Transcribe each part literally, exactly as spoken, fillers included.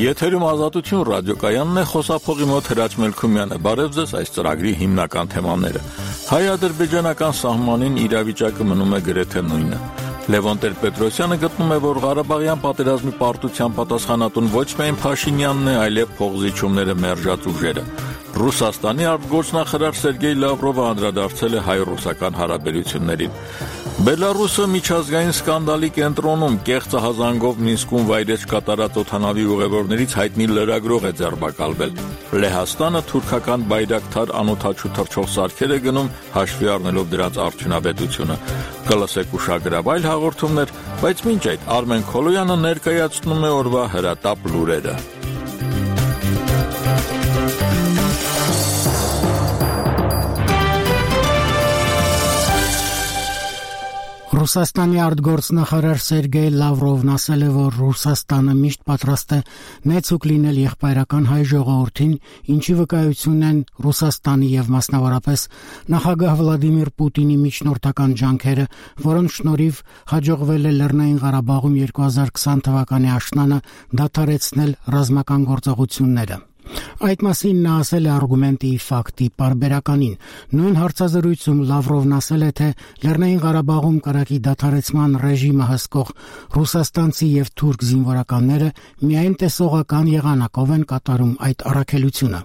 Եթերում Ազատություն ռադիոկայանն է, խոսափողի մոտ Հրաչ Մելքումյանը։ Բարև ձեզ, այս ծրագրի հիմնական թեմաները։ Հայ-ադրբեջանական սահմանին իրավիճակը մնում է գրեթե նույնը։ Լևոն Տեր-Պետրոսյանը գտնում է, որ Ղարաբաղյան պատերազմի պարտության պատասխանատուն ոչ միայն Փաշինյանն է, այլև փողզիչումները մերժած ուժերը։ Ռուսաստանի արտգործնախարար Սերգեյ Լավրովը անդրադարձել է հայ-ռուսական հարաբերություններին։ Բելարուսը միջազգային սկանդալի կենտրոնում կեղծահազանգով Մինսկում վայրէջք կատարած օդանավի ուղևորներից հայտնի լրագրող է ձերբակալվել։ Լեհաստանը թուրքական բայրակթար անօդաչու թռչող սարքեր է գնում, հաշվի առնելով դրանց արդյունավետությունը։ Կլսեք ուշագրավ այլ հաղորդումներ, բայց մինչ այդ Արմեն Քոլոյանը ներկայացնում է օրվա հրատապ լուրերը։ Ռուսաստանի արտգործնախարար Սերգեյ Լավրովն ասել է, որ Ռուսաստանը միշտ պատրաստ է նեցուկ լինել եղբայրական հայ ժողովրդին, ինչի վկայություն են Ռուսաստանի եւ մասնավորապես նախագահ Վլադիմիր Պուտինի միջնորդական ջանքերը, որոնց շնորհիվ հաջողվել է Լեռնային Ղարաբաղում երկու հազար քսան թվականի աշնանը դադարեցնել ռազմական գործողությունները։ Այդ մասին նա ասել է արգումենտի ֆակտի պարբերականին։ Նույն հարցազրույցում Լավրովն ասել է, թե Լեռնային Ղարաբաղում կրակի դադարեցման ռեժիմը հսկող ռուսաստանցի եւ թուրք զինվորականները միայն տեսողական եղանակով են կատարում այդ առաքելությունը։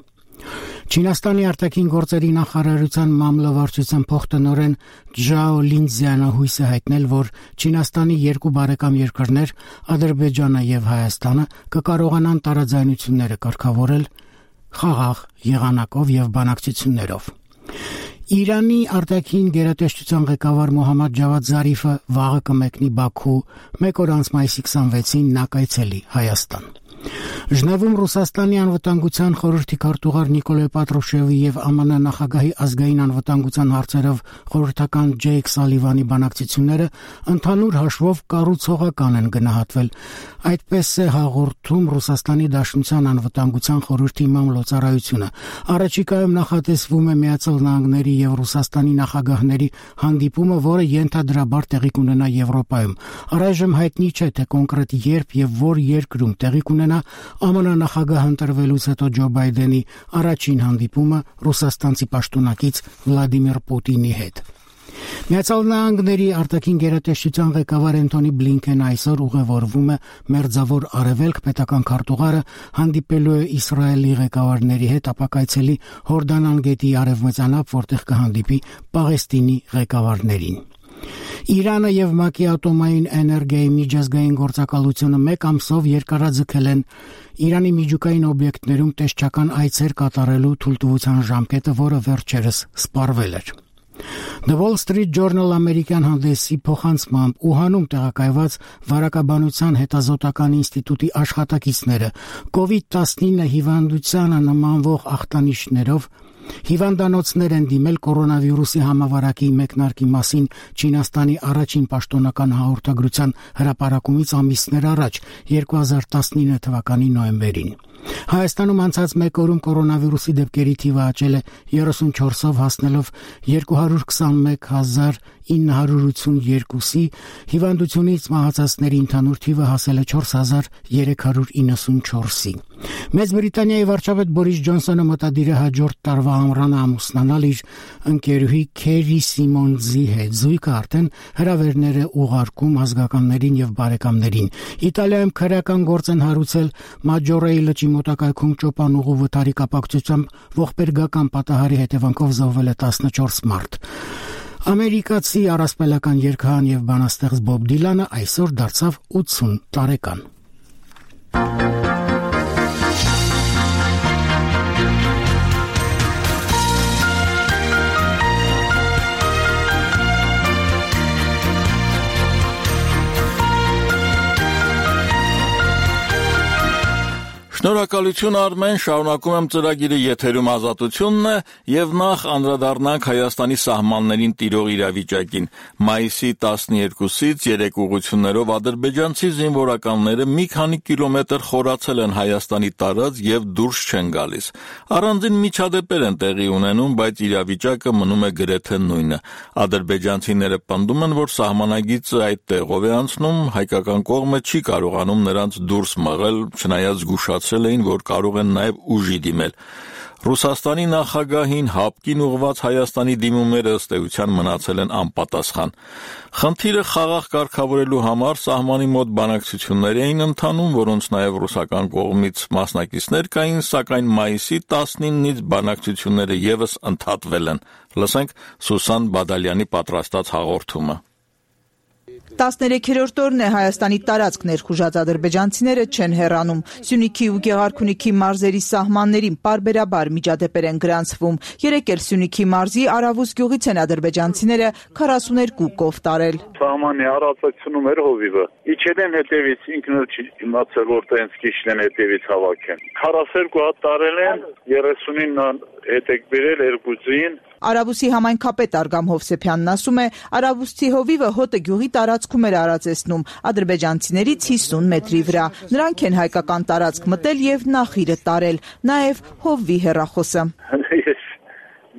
Չինաստանի արտաքին գործերի նախարարության մամլովարչության փոխտնօրեն Ջաո Լինձյանը հույս է հայտնել, որ Չինաստանի երկու բարեկամ երկրներ Ադրբեջանը եւ Հայաստանը կկարողանան տարաձայնությունները կարգավորել խաղաղ եղանակով եւ բանակցություններով։ Իրանի արտաքին գերատեսչության ղեկավար Մոհամմադ Ջավադ Զարիֆը վաղը կմեկնի Բաքու, մեկ օր անց մայիսի քսանվեցին նա կայցելի Հայաստան։ Ժնևում Ռուսաստանի անվտանգության խորհրդի քարտուղար Նիկոլայ Պատրուշևի եւ ԱՄՆ նախագահի ազգային անվտանգության հարցերով խորհրդական Ջեյք Սալիվանի բանակցությունները ընդհանուր հաշվով կառուցողական են գնահատվել։ Այդպես է հաղորդում Ռուսաստանի Դաշնության անվտանգության խորհրդի մամլոյցարայությունը։ Առաջիկայում նախատեսվում է Միացյալ Նահանգների եւ Ռուսաստանի նախագահների հանդիպումը, որը ենթադրաբար տեղի կունենա Եվրոպայում։ Առայժմ հայտնի չէ, թե կոնկրետ երբ եւ որ երկրում տեղի կունենա ԱՄՆ նախագահ ընտրվելուց հետո Ջո Բայդենի առաջին հանդիպումը ռուսաստանցի պաշտոնակից Վլադիմիր Պուտինի հետ։ Միացյալ Նահանգների արտաքին գերատեսչության ղեկավար Անթոնի Բլինքենը այսօր ուղևորվում է Մերձավոր Արևելք, պետական քարտուղարը հանդիպելու է Իսրայելի ղեկավարների հետ, ապա կայցելի Հորդանան գետի արևմտյան ափ, որտեղ կհանդիպի Պաղեստինի ղեկավարներին։ Իրանը եւ ՄԱԿ-ի ատոմային էներգիայի միջազգային գործակալությունը մեկ ամսով երկարաձգել են Իրանի միջուկային օբյեկտներում տեսչական այցեր կատարելու թույլտվության ժամկետը, որը վերջերս սպառվել էր։ The Wall Street Journal ամերիկյան հանդեսի փոխանցմամբ Ուհանում տեղակայված վարակաբանության հետազոտական ինստիտուտի աշխատակիցները կովիդ տասնինը հիվանդությանը նմանվող ախտանիշներով հիվանդանոցներ են դիմել կորոնավիրուսի համավարակի մեկնարկի մասին Չինաստանի առաջին պաշտոնական հաղորդագրության հրապարակումից ամիսներ առաջ, երկու հազար տասնինը թվականի նոյեմբերին։ Հայաստանում անցած մեկ օրում կորոնավիրուսի դեպքերի թիվը աճել է երեսունչորսով հասնելով երկու հարյուր քսանմեկ հազար ինը հարյուր ութսունյոթի, հիվանդությունից մահացածների ընդհանուր թիվը հասել է չորս հազար երեք հարյուր իննսունչորսի։ Մեծ Բրիտանիայի վարչապետ Բորիս Ջոնսոնը մտադիր է հաջորդ տարվա ամռանը ամուսնանալ իր ընկերուհի Քերի Սիմոնզի հետ։ Զույգը արդեն հրավերներ է ուղարկում ազգականներին եւ բարեկամներին։ Իտալիայում քրեական գործ են հարուցել Մաջորեի լճի մոտակայքում ճոպանուղու վթարի կապակցությամբ ողբերգական պատահարի հետևանքով զոհվել է տասնչորս մարդ։ Ամերիկացի առասպելական երգահան եւ բանաստեղծ Բոբ Դիլանը այսօր դարձավ ութսուն տարեկան։ Շնորհակալություն Արմեն, շարունակում եմ ծրագիրը եթերում Ազատությունն է եւ նախ անդրադառնանք Հայաստանի սահմաններին տիրող իրավիճակին։ Մայիսի տասներկուսից երեք ուղղություններով ադրբեջանցի զինվորականները մի քանի կիլոմետր խորացել են Հայաստանի տարած եւ դուրս չեն գալիս։ Առանձին միջադեպեր են տեղի ունենում, բայց իրավիճակը մնում է գրեթե նույնը։ Ադրբեջանցիները պնդում են, որ սահմանագիծը այդ տեղով է անցնում, հայկական կողմը չի կարողանում նրանց դուրս մղել, չնայած զգուշացրել էին, որ կարող են նաև ուժի դիմել։ Ռուսաստանի նախագահին հապկին ուղված Հայաստանի դիմումները ըստ էության մնացել են անպատասխան։ Խնդիրը խաղաղ կարգավորելու համար սահմանի մոտ բանակցություններ էին ընթանում, որոնց նաև ռուսական կողմից մասնակիցներ կային, սակայն մայիսի տասնինից բանակցությունները ևս ընդհատվել են։ Լսենք Սուսան Բադալյանի պատրաստած հաղորդումը։ տասներեքերորդ օրն է Հայաստանի տարածք ներխուժած ադրբեջանցիները չեն հեռանում։ Սյունիքի ու Գեղարքունիքի մարզերի սահմաններին պարբերաբար միջադեպեր են գրանցվում։ Երեկ էլ Սյունիքի մարզի Արավուս գյուղից են ադրբեջանցիները քառասուներկու կով տարել։ Սահմանի առածությունում էր հովիվը։ Իջել են հետևից, ինքն էլ չի իմացել, որտեղ են սկիչն են հետևից հավաքեն։ քառասուներկու հատ տարել են, երեսունինն հետեք բերել երկուսին։ Արավուսի համայնքապետ Արգամ Հովսեփյանն ասում է, Արավուսցի հովիվը հոտը գյուղի տարածքում էր արածեցնում ադրբեջանցիներից հիսուն մետրի վրա։ Նրանք են հայկական տարածք մտել եւ նախիրը տարել, նաեւ հովվի հեռախոսը։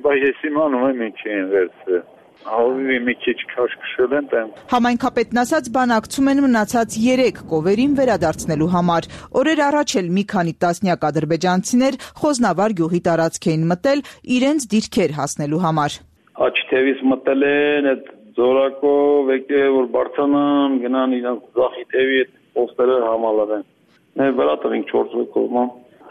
Բայց ես իմանում եմ ինչ են վերցրել։ Հովիվի մի քիչ քաշքշել են տեմ։ Համայնքապետն ասաց, բանակցում են մնացած երեք կովերին վերադարձնելու համար։ Օրեր առաջ էլ մի քանի տասնյակ ադրբեջանցիներ Խոզնավար գյուղի տարածք էին մտել իրենց դիրքեր հասնելու համար։ Աչ թևից մտել են, այդ զորակով եկել որ բարձանան, գնան իրենց ձախի թևի այդ պոստերը համալրեն։ Մեր վրա տվին չորս կողմը։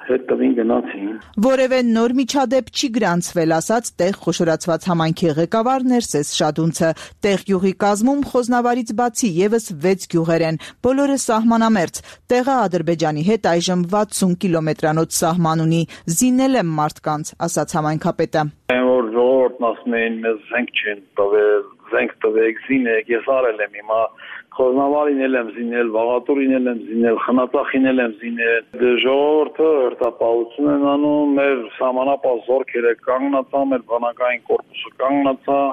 Հետևին գնացին։ Որևէ նոր միջադեպ չի գրանցվել, ասաց տեղ խոշորացված համայնքի ղեկավար Ներսես Շադունցը։ Տեղ գյուղի կազմում Խոզնավարից բացի եւս վեց գյուղեր են, բոլորը սահմանամերձ։ Տեղը Ադրբեջանի հետ այժմ վաթսուն կիլոմետրանոց սահման ունի։ Զինել եմ մարդկանց, ասաց համայնքապետը։ Որ ժողովուրդն ասում էին, մեզ զենք չեն տվել, զենք տվեք, զինեք, ես արել եմ հիմա Խոզնավարին էլ եմ զինել, Վաղատուրին էլ եմ զինել, Խնածախին էլ եմ զինել։ Ժողովուրդը հերթապահություն են անում, մեր սահմանապահ զորքերը կանգնացա, մեր բանակային կորպուսը կանգնացա։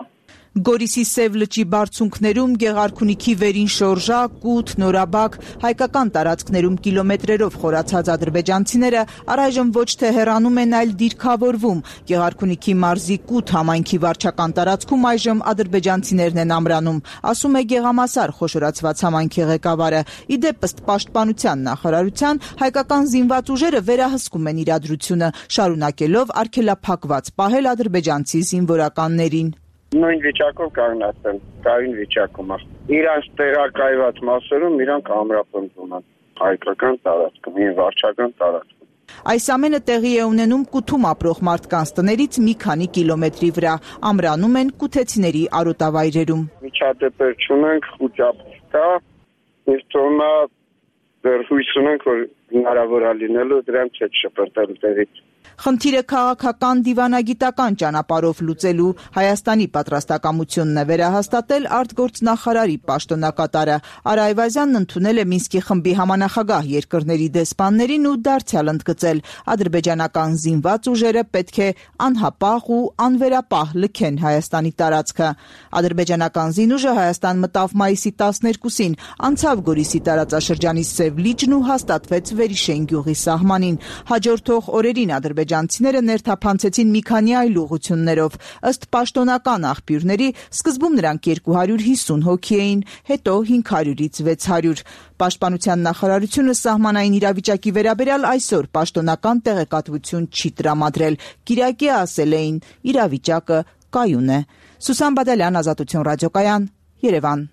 Գորիսի Սև լճի բարձունքներում, Գեղարքունիքի վերին շորժա, Կութ, Նորաբակ, հայկական տարածքներում կիլոմետրերով խորացած ադրբեջանցիները առայժմ ոչ թե հեռանում են, այլ դիրքավորվում։ Գեղարքունիքի մարզի Կութ համայնքի վարչական տարածքում այժմ ադրբեջանցիներն են ամրանում, ասում է Գեղամասար խոշորացված համայնքի ղեկավարը։ Իդեպ ըստ պաշտպանության նախարարության, հայկական զինված ուժերը վերահսկում են իրադրությունը, շարունակելով արգելափակված պահել ադրբեջանցի զինվորականներին։ Նույն վիճակով կանգնած են, կայուն վիճակում է։ Իրանց տեղակայված մասերում իրանք ամրապնդվում են հայկական տարածքում, հին վարչական տարածքում։ Այս ամենը տեղի է ունենում Կութում ապրող մարդկանց տներից մի քանի կիլոմետրի վրա, ամրանում են կութեցիների արոտավայրերում։ Միջադեպեր չունենք, խոճապ կա, ես թողնա դեռ հույս ունենք, որ հնարավոր է լինելու դրանց հետ շպրտել տեղից։ Խնդիրը քաղաքական դիվանագիտական ճանապարհով լուծելու Հայաստանի պատրաստակամությունն է վերահաստատել արտգործնախարարի պաշտոնակատարը։ Արա Այվազյանն ընդունել է Մինսկի խմբի համանախագահ երկրների դեսպաններին ու դարձյալ ընդգծել ադրբեջանական զինված ուժերը պետք է անհապաղ ու անվերապահ լքեն Հայաստանի տարածքը։ Ադրբեջանական զինուժը Հայաստան մտավ մայիսի տասներկուսին, անցավ Գորիսի տարածաշրջանի Սև լիճն ու հաստատվեց Վերիշեն գյուղի սահմանին։ Հաջորդող օրերին ադրբեջանցիները ներթափանցեցին մի քանի այլ ուղղություններով։ Ըստ պաշտոնական աղբյուրների, սկզբում նրանք երկու հարյուր հիսուն հոգի էին, հետո հինգ հարյուրից վեց հարյուր։ Պաշտպանության նախարարությունը սահմանային իրավիճակի վերաբերյալ այսօր պաշտոնական տեղեկատվություն չի տրամադրել։ Կիրակի ասել էին, իրավիճակը կայուն է։ Սուսան Բադալյան, Ազատություն ռադիոկայան, Երևան։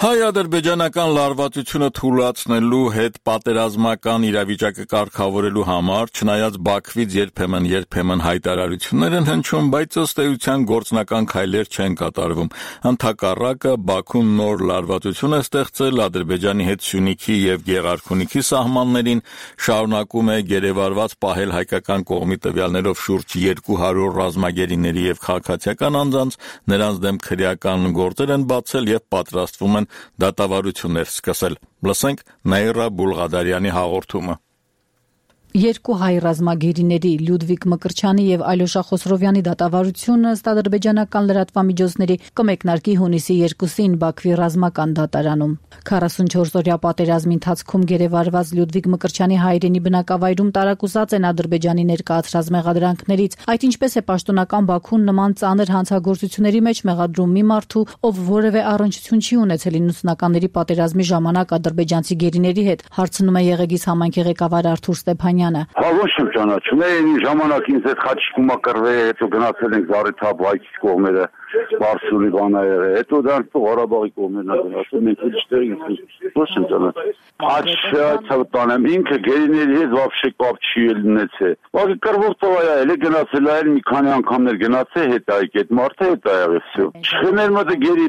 Հայ-ադրբեջանական լարվածությունը թույլատնելու հետ պատերազմական իրավիճակը կարգավորելու համար, չնայած Բաքվից երբեմն երբեմն հայտարարություններ են հնչում, բայց ըստ էության գործնական քայլեր չեն կատարվում։ Ընդհակառակը Բաքուն նոր լարվածություն է ստեղծել Ադրբեջանի հետ Սյունիքի եւ Գեղարքունիքի սահմաններին, շարունակում է գերեվարված պահել հայկական կողմի տվյալներով շուրջ երկու հարյուր ռազմագերիների եւ քաղաքացիական անձանց, նրանց դեմ քրեական գործեր են բացել եւ պատրաստվում են դատավարություններ սկսել։ Լսենք Նաիրա Բուլղադարյանի հաղորդումը։ Երկու հայ ռազմագերիների Լյուդվիգ Մկրտչյանի եւ Ալյոշա Խոսրովյանի դատավարությունը ըստ ադրբեջանական լրատվամիջոցների կմեկնարկի հունիսի երկուսին Բաքվի ռազմական դատարանում։ քառասունչորս-օրյա պատերազմի ընթացքում գերեվարված Լյուդվիգ Մկրտչյանի հայրենի բնակավայրում տարակուսած են ադրբեջանի ներկայացրած մեղադրանքներից, այդ ինչպես է պաշտոնական Բաքուն նման ծանր հանցագործությունների մեջ մեղադրում մի մարդու, ով որևէ առնչություն չի ունեցել իննսունականների պատերազմի ժամանակ ադրբեջանցի գերիների հետ, հարցնում է Եղեգիս համայնքի ղեկավար Արթուր Ստեփանյանը։ Հա ոչ եմ ճանաչում, այն ժամանակ ինձ հետ խաչիկումա կռվել, հետո գնացել ենք Զարեթափ Բայկի կողմերը, Բարսուլի բանայերը, հետո դեռ Ղարաբաղի կողմերն գնացել, մենք իջտեր ինձ ոչ եմ ճանաչում։ Աչքացանեմ ինքը գերիների հետ вообще կապ չի ունեցել։ Բայց կռվող տվայա էլի գնացել այլ մի քանի անգամներ գնացել հետ այկ այդ մարդը հետ ա եղել всё։ Չխմեր մոտ գերի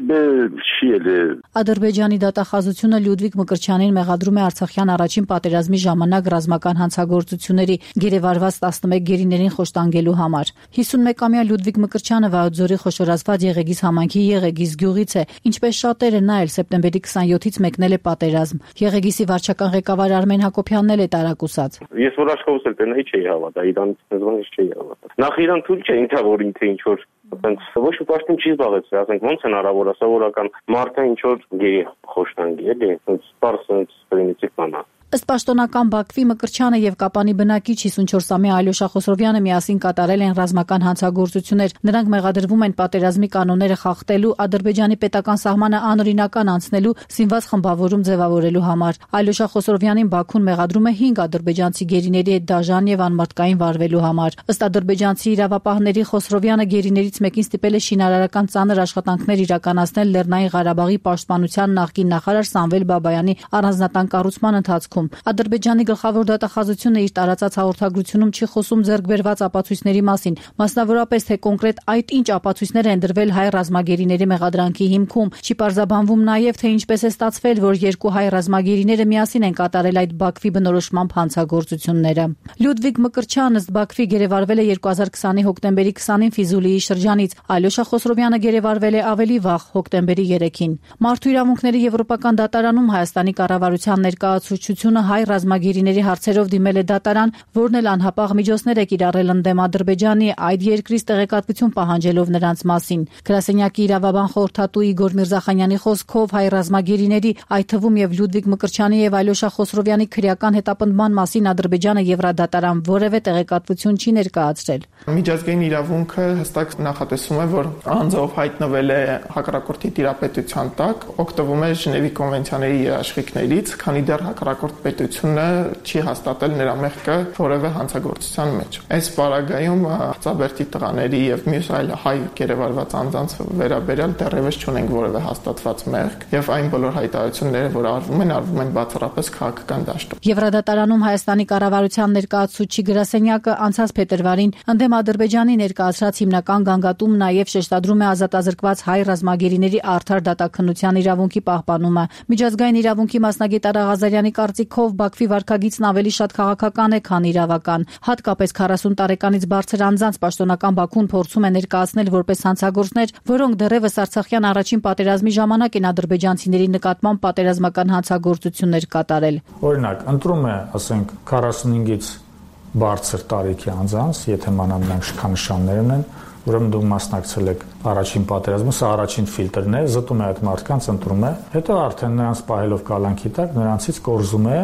չի էլի։ Ադրբեջանի դատախազությունը Լյուդվիգ Մկրտչյանին մեղադրում է Արցախյան առաջին պատերազմի ժամանակ ռազմական հանցագործությունների գերեվարված տասնմեկ գերիներին խոշտանգելու համար։ հիսունմեկամյա Լյուդվիգ Մկրտչյանը Վայոց-Ձորի խոշորացված Եղեգիս համայնքի Եղեգիս գյուղից է, ինչպես շատերը նա էլ սեպտեմբերի քսաներկուից մեկնել է պատերազմ։ Եղեգիսի վարչական ղեկավար Արմեն Հակոբյանն էլ է տարակուսած։ Ես որ աշխովս էլ տենայի չէի հավատա, իրանից նզոնից չէի հավատա։ Նախ իրան թույլ չէ ինձ որ ինքը ինչ որ ասենք ոչ մի պաշտոն չի զբաղեցրել, ասենք ոնց հնարավոր է սովորական մարդը ինչ որ գերի խոշտանգի էլի, ոնց սպարսից պրիմիտիվ բան է։ Ըստ պաշտոնական Բաքվի Մկրտչյանը եւ Կապանի բնակիչ հիսունչորսամյա Ալյոշա Խոսրովյանը միասին կատարել են ռազմական հանցագործություններ։ Նրանք մեղադրվում են պատերազմի կանոնները խախտելու, Ադրբեջանի պետական սահմանը անօրինական անցնելու, զինված խմբավորում ձևավորելու համար։ Ալյոշա Խոսրովյանին Բաքուն մեղադրում է հինգ ադրբեջանցի գերիների հետ դաժան եւ անմարդկային վարվելու համար։ Ըստ ադրբեջանցի իրավապահների Խոսրովյանը գերիներից մեկին ստիպել է շինարարական ծանր աշխատանքներ իրականացնել Լեռնային Ղարաբաղի պաշտպանության նախկին նախարար Սամվել Բաբայանի առանձնատան կառուցման ընթացքում։ Ադրբեջանի գլխավոր դատախազությունը իր տարածած հաղորդագրությունում չի խոսում ձեռք բերված ապացույցների մասին, մասնավորապես թե կոնկրետ այդ ինչ ապացույցներ են դրվել հայ ռազմագերիների մեղադրանքի հիմքում, չի պարզաբանվում նաև թե ինչպես է ստացվել, որ երկու հայ ռազմագերիները միասին են կատարել այդ Բաքվի բնորոշմամբ հանցագործությունները։ Լյուդվիգ Մկրտչյանը ըստ Բաքվի գերեվարվել է երկու հազար քսանի հոկտեմբերի քսանին Ֆիզուլիի շրջանից, Ալյոշա Խոսրովյանը գերեվարվել է ավելի վաղ հոկտեմբերի երեքին։ Մարդու իրավունքների եվրոպական դատարանում Հայաստանի կառավարության ներկայացուցչությունը հայ ռազմագերիների հարցերով դիմել է դատարան, որն էլ անհապաղ միջոցներ է կիրառել ընդդեմ Ադրբեջանի, այդ երկրից տեղեկատվություն պահանջելով նրանց մասին։ Գրասենյակի իրավաբան խորհրդատու Իգոր Միրզախանյանի խոսքով հայ ռազմագերիների, այդ թվում եւ Լյուդվիգ Մկրտչյանի եւ Ալյոշա Խոսրովյանի քրեական հետապնդման մասին Ադրբեջանը Եվրադատարան որևէ տեղեկատվություն չի ներկայացրել։ Միջազգային իրավունքը հստակ նախատեսում է, որ անձով հայտնվել է հակառակորդի տիրապետության տակ, օգտվում է Ժնևի կոնվենցիաների երաշխիքներից, քանի դեռ հակառակորդ պետությունը չի հաստատել նրա մեղքը որևէ հանցագործության մեջ։ Այս պարագայում Ծաբերտի տղաների եւ մյուս այլ հայ գերեվարված անձանց վերաբերյալ դեռևս չունենք որևէ հաստատված մեղք, եւ այն բոլոր հայտարարությունները, որ արվում են, արվում են բացառապես քաղաքական դաշտում։ Եվրադատարանում Հայաստանի կառավարության ներկայացուցիչ գրասենյակը անցած փետրվարին ընդդեմ Ադրբեջանի ներկայացրած հիմնական գանգատում նաև շեշտադրում է ազատազրկված հայ ռազմագերիների արդար դատաքննության իրավունքի պահպանումը։ Միջազգային իրավունքի մասնագետ Արա Ղազարյանի կարծիքով Բաքվի վարքագիծն ավելի շատ քաղաքական է, քան իրավական։ Հատկապես քառասուն տարեկանից բարձր անձանց պաշտոնական Բաքուն փորձում է ներկայացնել որպես հանցագործներ, որոնք դեռևս Արցախյան առաջին պատերազմի ժամանակ են ադրբեջանցիների նկատմամբ պատերազմական հանցագործություններ կատարել։ Օրինակ, ընտրում է, ասենք, քառասունհինգից բարձր տարիքի անձանց, եթե մանավանդ շքանշաններ ունեն, ուրեմն դու մասնակցել եք առաջին պատերազմը, սա առաջին ֆիլտրն է, զտում է այդ մարդկանց, ընտրում է, հետո արդեն նրանց պահելով կալանքի տակ, նրանցից կորզում է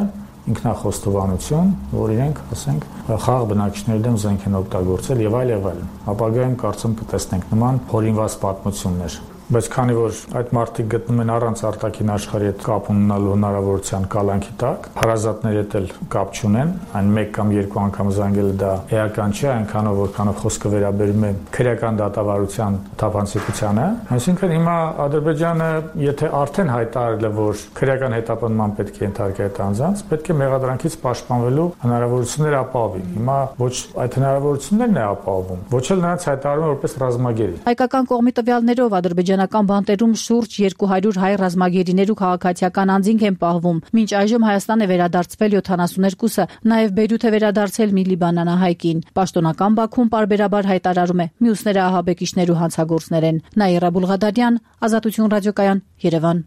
ինքնախոստովանություն, որ իրենք, ասենք, խաղ բնակիչների դեմ զենք են օգտագործել եւ այլ եւ այլն։ Ապագայում կարծում կտեսնենք նման հորինված պատմություններ։ Բայց քանի որ այդ մարդիկ գտնում են առանց արտաքին աշխարհի հետ կապ ունենալու հնարավորության կալանքի տակ, հարազատների հետ էլ կապ չունեն, այն մեկ կամ երկու անգամ զանգելը դա էական չէ, այնքանով որքանով խոսքը վերաբերում է քրեական դատավարության թափանցիկությանը, այսինքն հիմա Ադրբեջանը, եթե արդեն հայտարարել է, որ քրեական հետապնդման պետք է ենթարկի այդ անձանց, պետք է մեղադրանքից պաշտպանվելու հնարավորություններ ապահովի։ Հիմա ոչ այդ հնարավորություններն է ապահովում, ոչ էլ նրանց հայտարարում է որպես ռազմագերի։ Հայկական կողմի տվյալներով ադրբեջանական բանտերում շուրջ երկու հարյուր հայ ռազմագերիներ ու քաղաքացիական անձինք են պահվում։ Մինչ այժմ Հայաստան է վերադարձվել յոթանասունհինգը, նաև Բեյրութ է վերադարձել մի լիբանանահայկին։ Պաշտոնական Բաքուն պարբերաբար հայտարարում է, մյուսները ահաբեկիչներ ու հանցագործներ են։ Նաիրա Բուլղադարյան, Ազատություն ռադիոկայան, Երևան։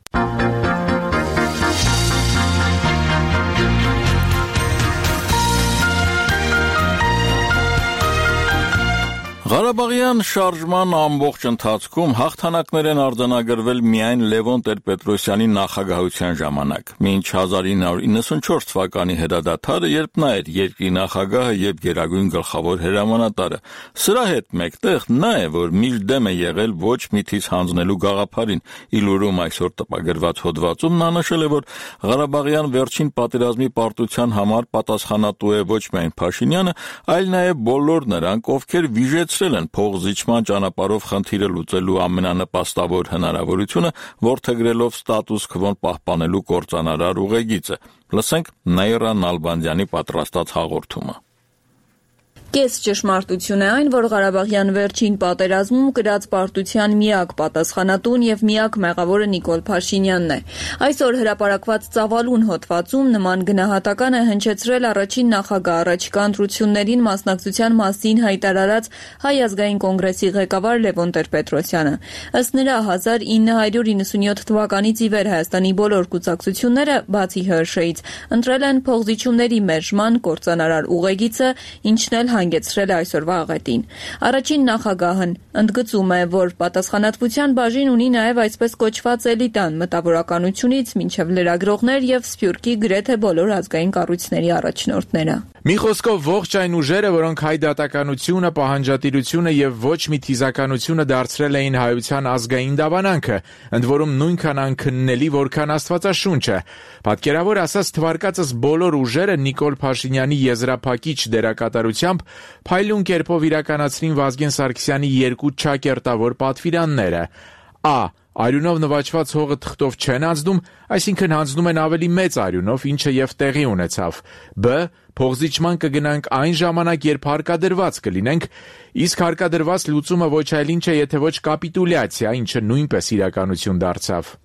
Ղարաբաղյան շարժման ամբողջ ընթացքում հաղթանակներ են արձանագրվել միայն Լևոն Տեր-Պետրոսյանի նախագահության ժամանակ, մինչ հազար ինը հարյուր իննսունչորս թվականի հրադադարը, երբ նա էր երկրի նախագահը եւ գերագույն գլխավոր հրամանատարը։ Սրա հետ մեկտեղ նա է, որ միշտ դեմ է եղել ոչ միթից հանձնելու գաղափարին։ Իլուրում այսօր տպագրված հոդվածում նա նշել է, որ Ղարաբաղյան վերջին պատերազմի պարտության համար պատասխանատու է ոչ միայն Փաշինյանը, այլ նաեւ բոլոր նրանք, ովքեր վիժեցրել են փողզիջման ճանապարհով խնդիրը լուծելու ամենանպաստավոր հնարավորությունը, որդեգրելով ստատուս քվոն պահպանելու կործանարար ուղեգիծը։ Լսենք Նաիրա Նալբանդյանի պատրաստած հաղորդումը։ Կես ճշմարտություն է այն, որ Ղարաբաղյան վերջին պատերազմում կրած պարտության միակ պատասխանատուն եւ միակ մեղավորը Նիկոլ Փաշինյանն է։ Այսօր հրապարակված ծավալուն հոդվածում նման գնահատական է հնչեցրել առաջին նախագահ առաջիկա ընտրություններին մասնակցության մասին հայտարարած Հայ ազգային կոնգրեսի ղեկավար Լևոն Տեր-Պետրոսյանը։ Ըստ նրա հազար ինը հարյուր իննսունյոթ թվականից ի վեր Հայաստանի բոլոր կուսակցությունները, բացի Հ Շ Ից, ընտրել են փողզիջումների մերժման կործանարար ուղեգիծը, ինչն էլ հանգեցրել է այսօրվա աղետին։ Առաջին նախագահն ընդգծում է, որ պատասխանատվության բաժին ունի նաև այսպես կոչված էլիտան, մտավորականությունից մինչև լրագրողներ եւ Սփյուռքի գրեթե բոլոր ազգային կառույցների առաջնորդները։ Մի խոսքով ողջ այն ուժերը, որոնք հայ դատականությունը, պահանջատիրությունը եւ ոչ մի թիզականությունը դարձրել էին հայության ազգային դավանանքը, ընդ որում նույնքան անքննելի, որքան Աստվածաշունչը։ Պատկերավոր ասած, թվարկածս բոլոր ուժերը Նիկոլ Փաշինյանի եզրափակիչ դերակատարությամբ փայլուն կերպով իրականացրին Վազգեն Սարգսյանի երկու չակերտավոր պատվիրանները։ Ա. Արյունով նվաճված հողը թղթով չեն անցնում, այսինքն հանձնում են ավելի մեծ արյունով, ինչը եւ տեղի ունեցավ։ Բ. Փողզիջման կգնանք այն ժամանակ, երբ հարկադրված կլինենք, իսկ հարկադրված լուծումը ոչ այլ ինչ է, եթե ոչ կապիտուլյացիա, ինչը նույնպես իրականություն դարձավ։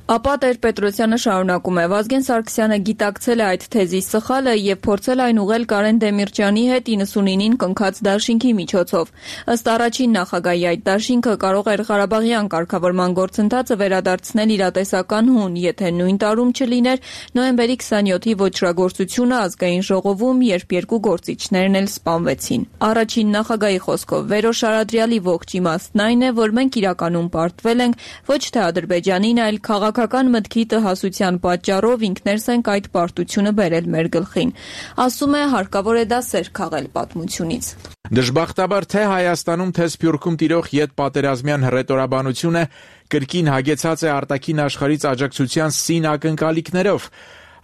Ապա Տեր-Պետրոսյանը շարունակում է. Վազգեն Սարգսյանը գիտակցել է այդ թեզի սխալը եւ փորձել այն ուղղել Կարեն Դեմիրճյանի հետ իննսունինին կնքած դաշինքի միջոցով։ Ըստ առաջին նախագահի այդ դաշինքը կարող էր Ղարաբաղյան կարգավորման գործընթացը վերադարձնել իրատեսական հուն, եթե նույն տարում չլիներ նոյեմբերի քսանյոթի ոճրագործությունը ազգային ժողովում, երբ երկու գործիչներն էլ սպանվեցին։ Առաջին նախագահի խոսքով Վերոշ Արադրյալի ողջ իմաստն այն է, որ մենք իրականում պարտվել ենք ոչ թե Ադրբեջանին, այլ քաղաքական մտքի տհասության պատճառով ինքներս ենք այդ պարտությունը բերել մեր գլխին։ Ասում է, հարկավոր է դա սեր քաղել պատմությունից։ Դժբախտաբար թե Հայաստանում, թե Սփյուռքում տիրող յետպատերազմյան հռետորաբանությունը կրկին հագեցած է արտաքին աշխարհից աջակցության սին ակնկալիքներով։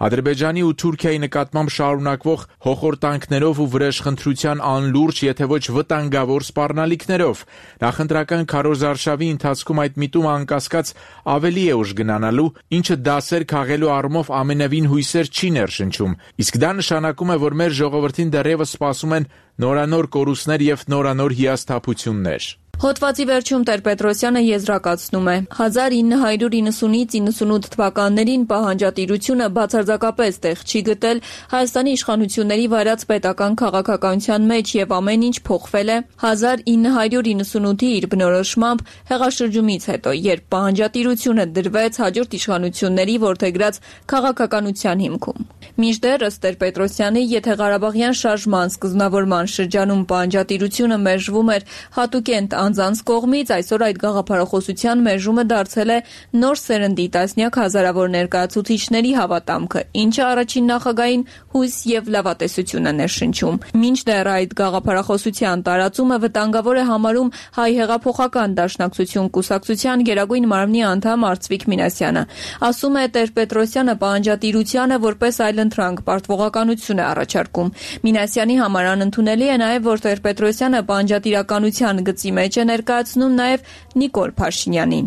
Ադրբեջանի ու Թուրքիայի նկատմամբ շարունակվող հոխորտանքներով ու վրեժխնդրության անլուրջ, եթե ոչ վտանգավոր սպառնալիքներով։ Նախընտրական քարոզարշավի ընթացքում այդ միտումը անկասկած ավելի է ուժ գնանալու, ինչը դասեր քաղելու առումով ամենևին հույսեր չի ներշնչում։ Իսկ դա նշանակում է, որ մեր ժողովրդին դեռևս սպասում են նորանոր կորուստներ եւ նորանոր հիասթափություններ։ Հոդվածի վերջում Տեր-Պետրոսյանը եզրակացնում է. հազար ինը հարյուր իննսունից իննսունութ թվականներին պահանջատիրությունը բացարձակապես տեղ չի գտել Հայաստանի իշխանությունների վարած պետական քաղաքականության մեջ եւ ամեն ինչ փոխվել է հազար ինը հարյուր իննսունութի իր բնորոշմամբ հեղաշրջումից հետո, երբ պահանջատիրությունը դրվեց հաջորդ իշխանությունների որդեգրած քաղաքականության հիմքում։ Մինչդեռ ըստ Տեր-Պետրոսյանի, եթե Ղարաբաղյան շարժման սկզբնավորման շրջանում պահանջատիրությունը մերժվում էր հատուկենտ անձանց կողմից, այսօր այդ գաղափարախոսության մերժումը դարձել է նոր սերնդի տասնյակ հազարավոր ներկայացուցիչների հավատամքը, ինչը առաջին նախագահին հույս եւ լավատեսություն է ներշնչում։ Մինչդեռ այդ գաղափարախոսության տարածումը վտանգավոր է համարում Հայ հեղափոխական դաշնակցություն կուսակցության գերագույն մարմնի անդամ Արծվիկ Մինասյանը։ Ասում է Տեր-Պետրոսյանը պահանջատիրությանը որպես այլընտրանք պարտվողականություն է առաջարկում։ Մինասյանի համար անընդունելի է նաեւ, որ Տեր-Պետրոսյանը պահանջատիրականության գծի մեջ է ներկայացնում նաև Նիկոլ Փաշինյանին։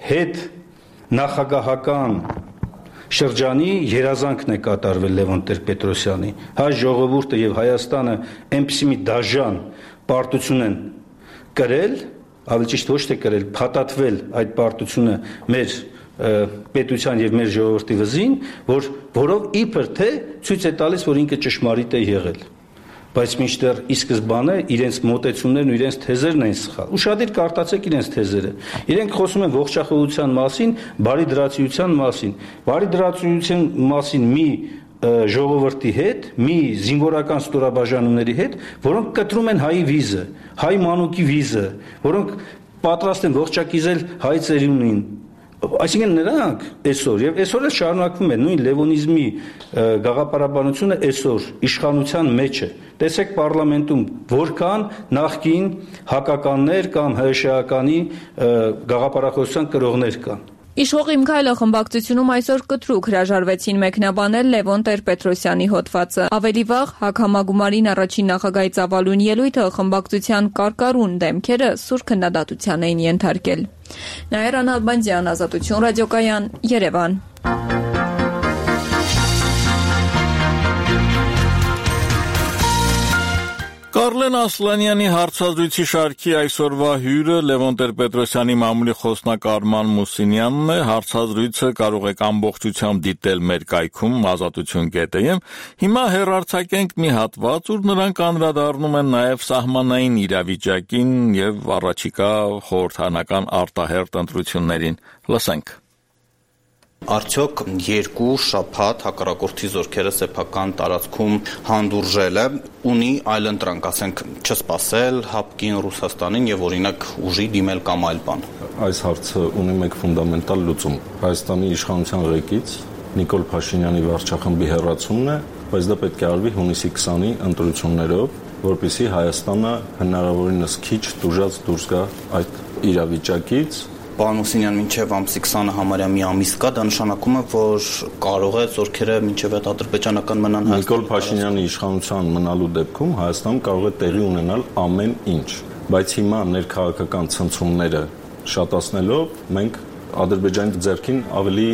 Հետ նախագահական շրջանի երազանքն է կատարվել Լևոն Տեր-Պետրոսյանի։ Հայ ժողովուրդը եւ Հայաստանը այնպիսի մի դաժան պարտություն են կրել, ավելի ճիշտ ոչ թե կրել, փաթաթվել այդ պարտությունը մեր պետության եւ մեր ժողովրդի վզին, որ որով իբր թե ցույց է տալիս, որ ինքը ճշմարիտ է եղել։ Բայց մինչդեռ ի սկզբանե իրենց մոտեցումներն ու իրենց թեզերն են սխալ։ Ուշադիր կարտացեք իրենց թեզերը։ Իրենք խոսում են ողջախոհության մասին, բարի դրացիության մասին։ Բարի դրացիության մասին մի ժողովրդի հետ, մի զինվորական ստորաբաժանումների հետ, որոնք կտրում են հայի վիզը, հայ մանուկի վիզը, որոնք պատրաստ են ողջակիզել հայ ծերունին։ Այսինքն նրանք այսօր եւ այսօր էլ շարունակվում է նույն լևոնիզմի գաղափարաբանությունը այսօր իշխանության մեջ է։ Տեսեք պարլամենտում որքան նախկին հակականներ կամ հրեշեականի գաղափարախոսության կրողներ կան։ Իշխող Իմ քայլը խմբակցությունում այսօր կտրուկ հրաժարվեցին մեկնաբանել Լևոն Տեր-Պետրոսյանի հոդվածը։ Ավելի վաղ Հագհամագումարին առաջին նախագահի ծավալուն ելույթը խմբակցության կարկառուն դեմքերը սուր քննադատության էին ենթարկել։ Նաիրա Նալբանդյան, Ազատություն ռադիոկայան, Երևան։ Կարլեն Ասլանյանի հարցազրույցի շարքի այսօրվա հյուրը Լևոն Տեր-Պետրոսյանի մամուլի խոսնակ Արման Մուսինյանն է։ Հարցազրույցը կարող եք ամբողջությամբ դիտել մեր կայքում ազատություն կետ է։ Հիմա հեռարձակենք մի հատված, ուր նրանք անդրադառնում են նաև սահմանային իրավիճակին եւ առաջիկա խորհրդանական արտահերթ ընտրություններին։ Լսենք։ Արդյոք երկու շաբաթ հակառակորդի զորքերը սեփական տարածքում հանդուրժելը ունի այլընտրանք, ասենք, չսպասել հապկին Ռուսաստանին եւ օրինակ ուժի դիմել կամ այլ բան։ Այս հարցը ունի մեկ ֆունդամենտալ լուծում։ Հայաստանի իշխանության ղեկից Նիկոլ Փաշինյանի վարչախմբի հեռացումն է, բայց դա պետք է արվի հունիսի քսանի ընտրություններով, որպեսզի Հայաստանը հնարավորինս քիչ տուժած դուրս գա այդ իրավիճակից։ Պարոն Մուսինյան, մինչև ամսի քսանը համարյա մի ամիս կա, դա նշանակում է, որ կարող է զորքերը մինչև այդ ադրբեջանական մնան Հայաստանում։ Նիկոլ Փաշինյանի իշխանության մնալու դեպքում Հայաստանում կարող է տեղի ունենալ ամեն ինչ, բայց հիմա ներքաղաքական ցնցումները շատացնելով մենք Ադրբեջանի ձեռքին ավելի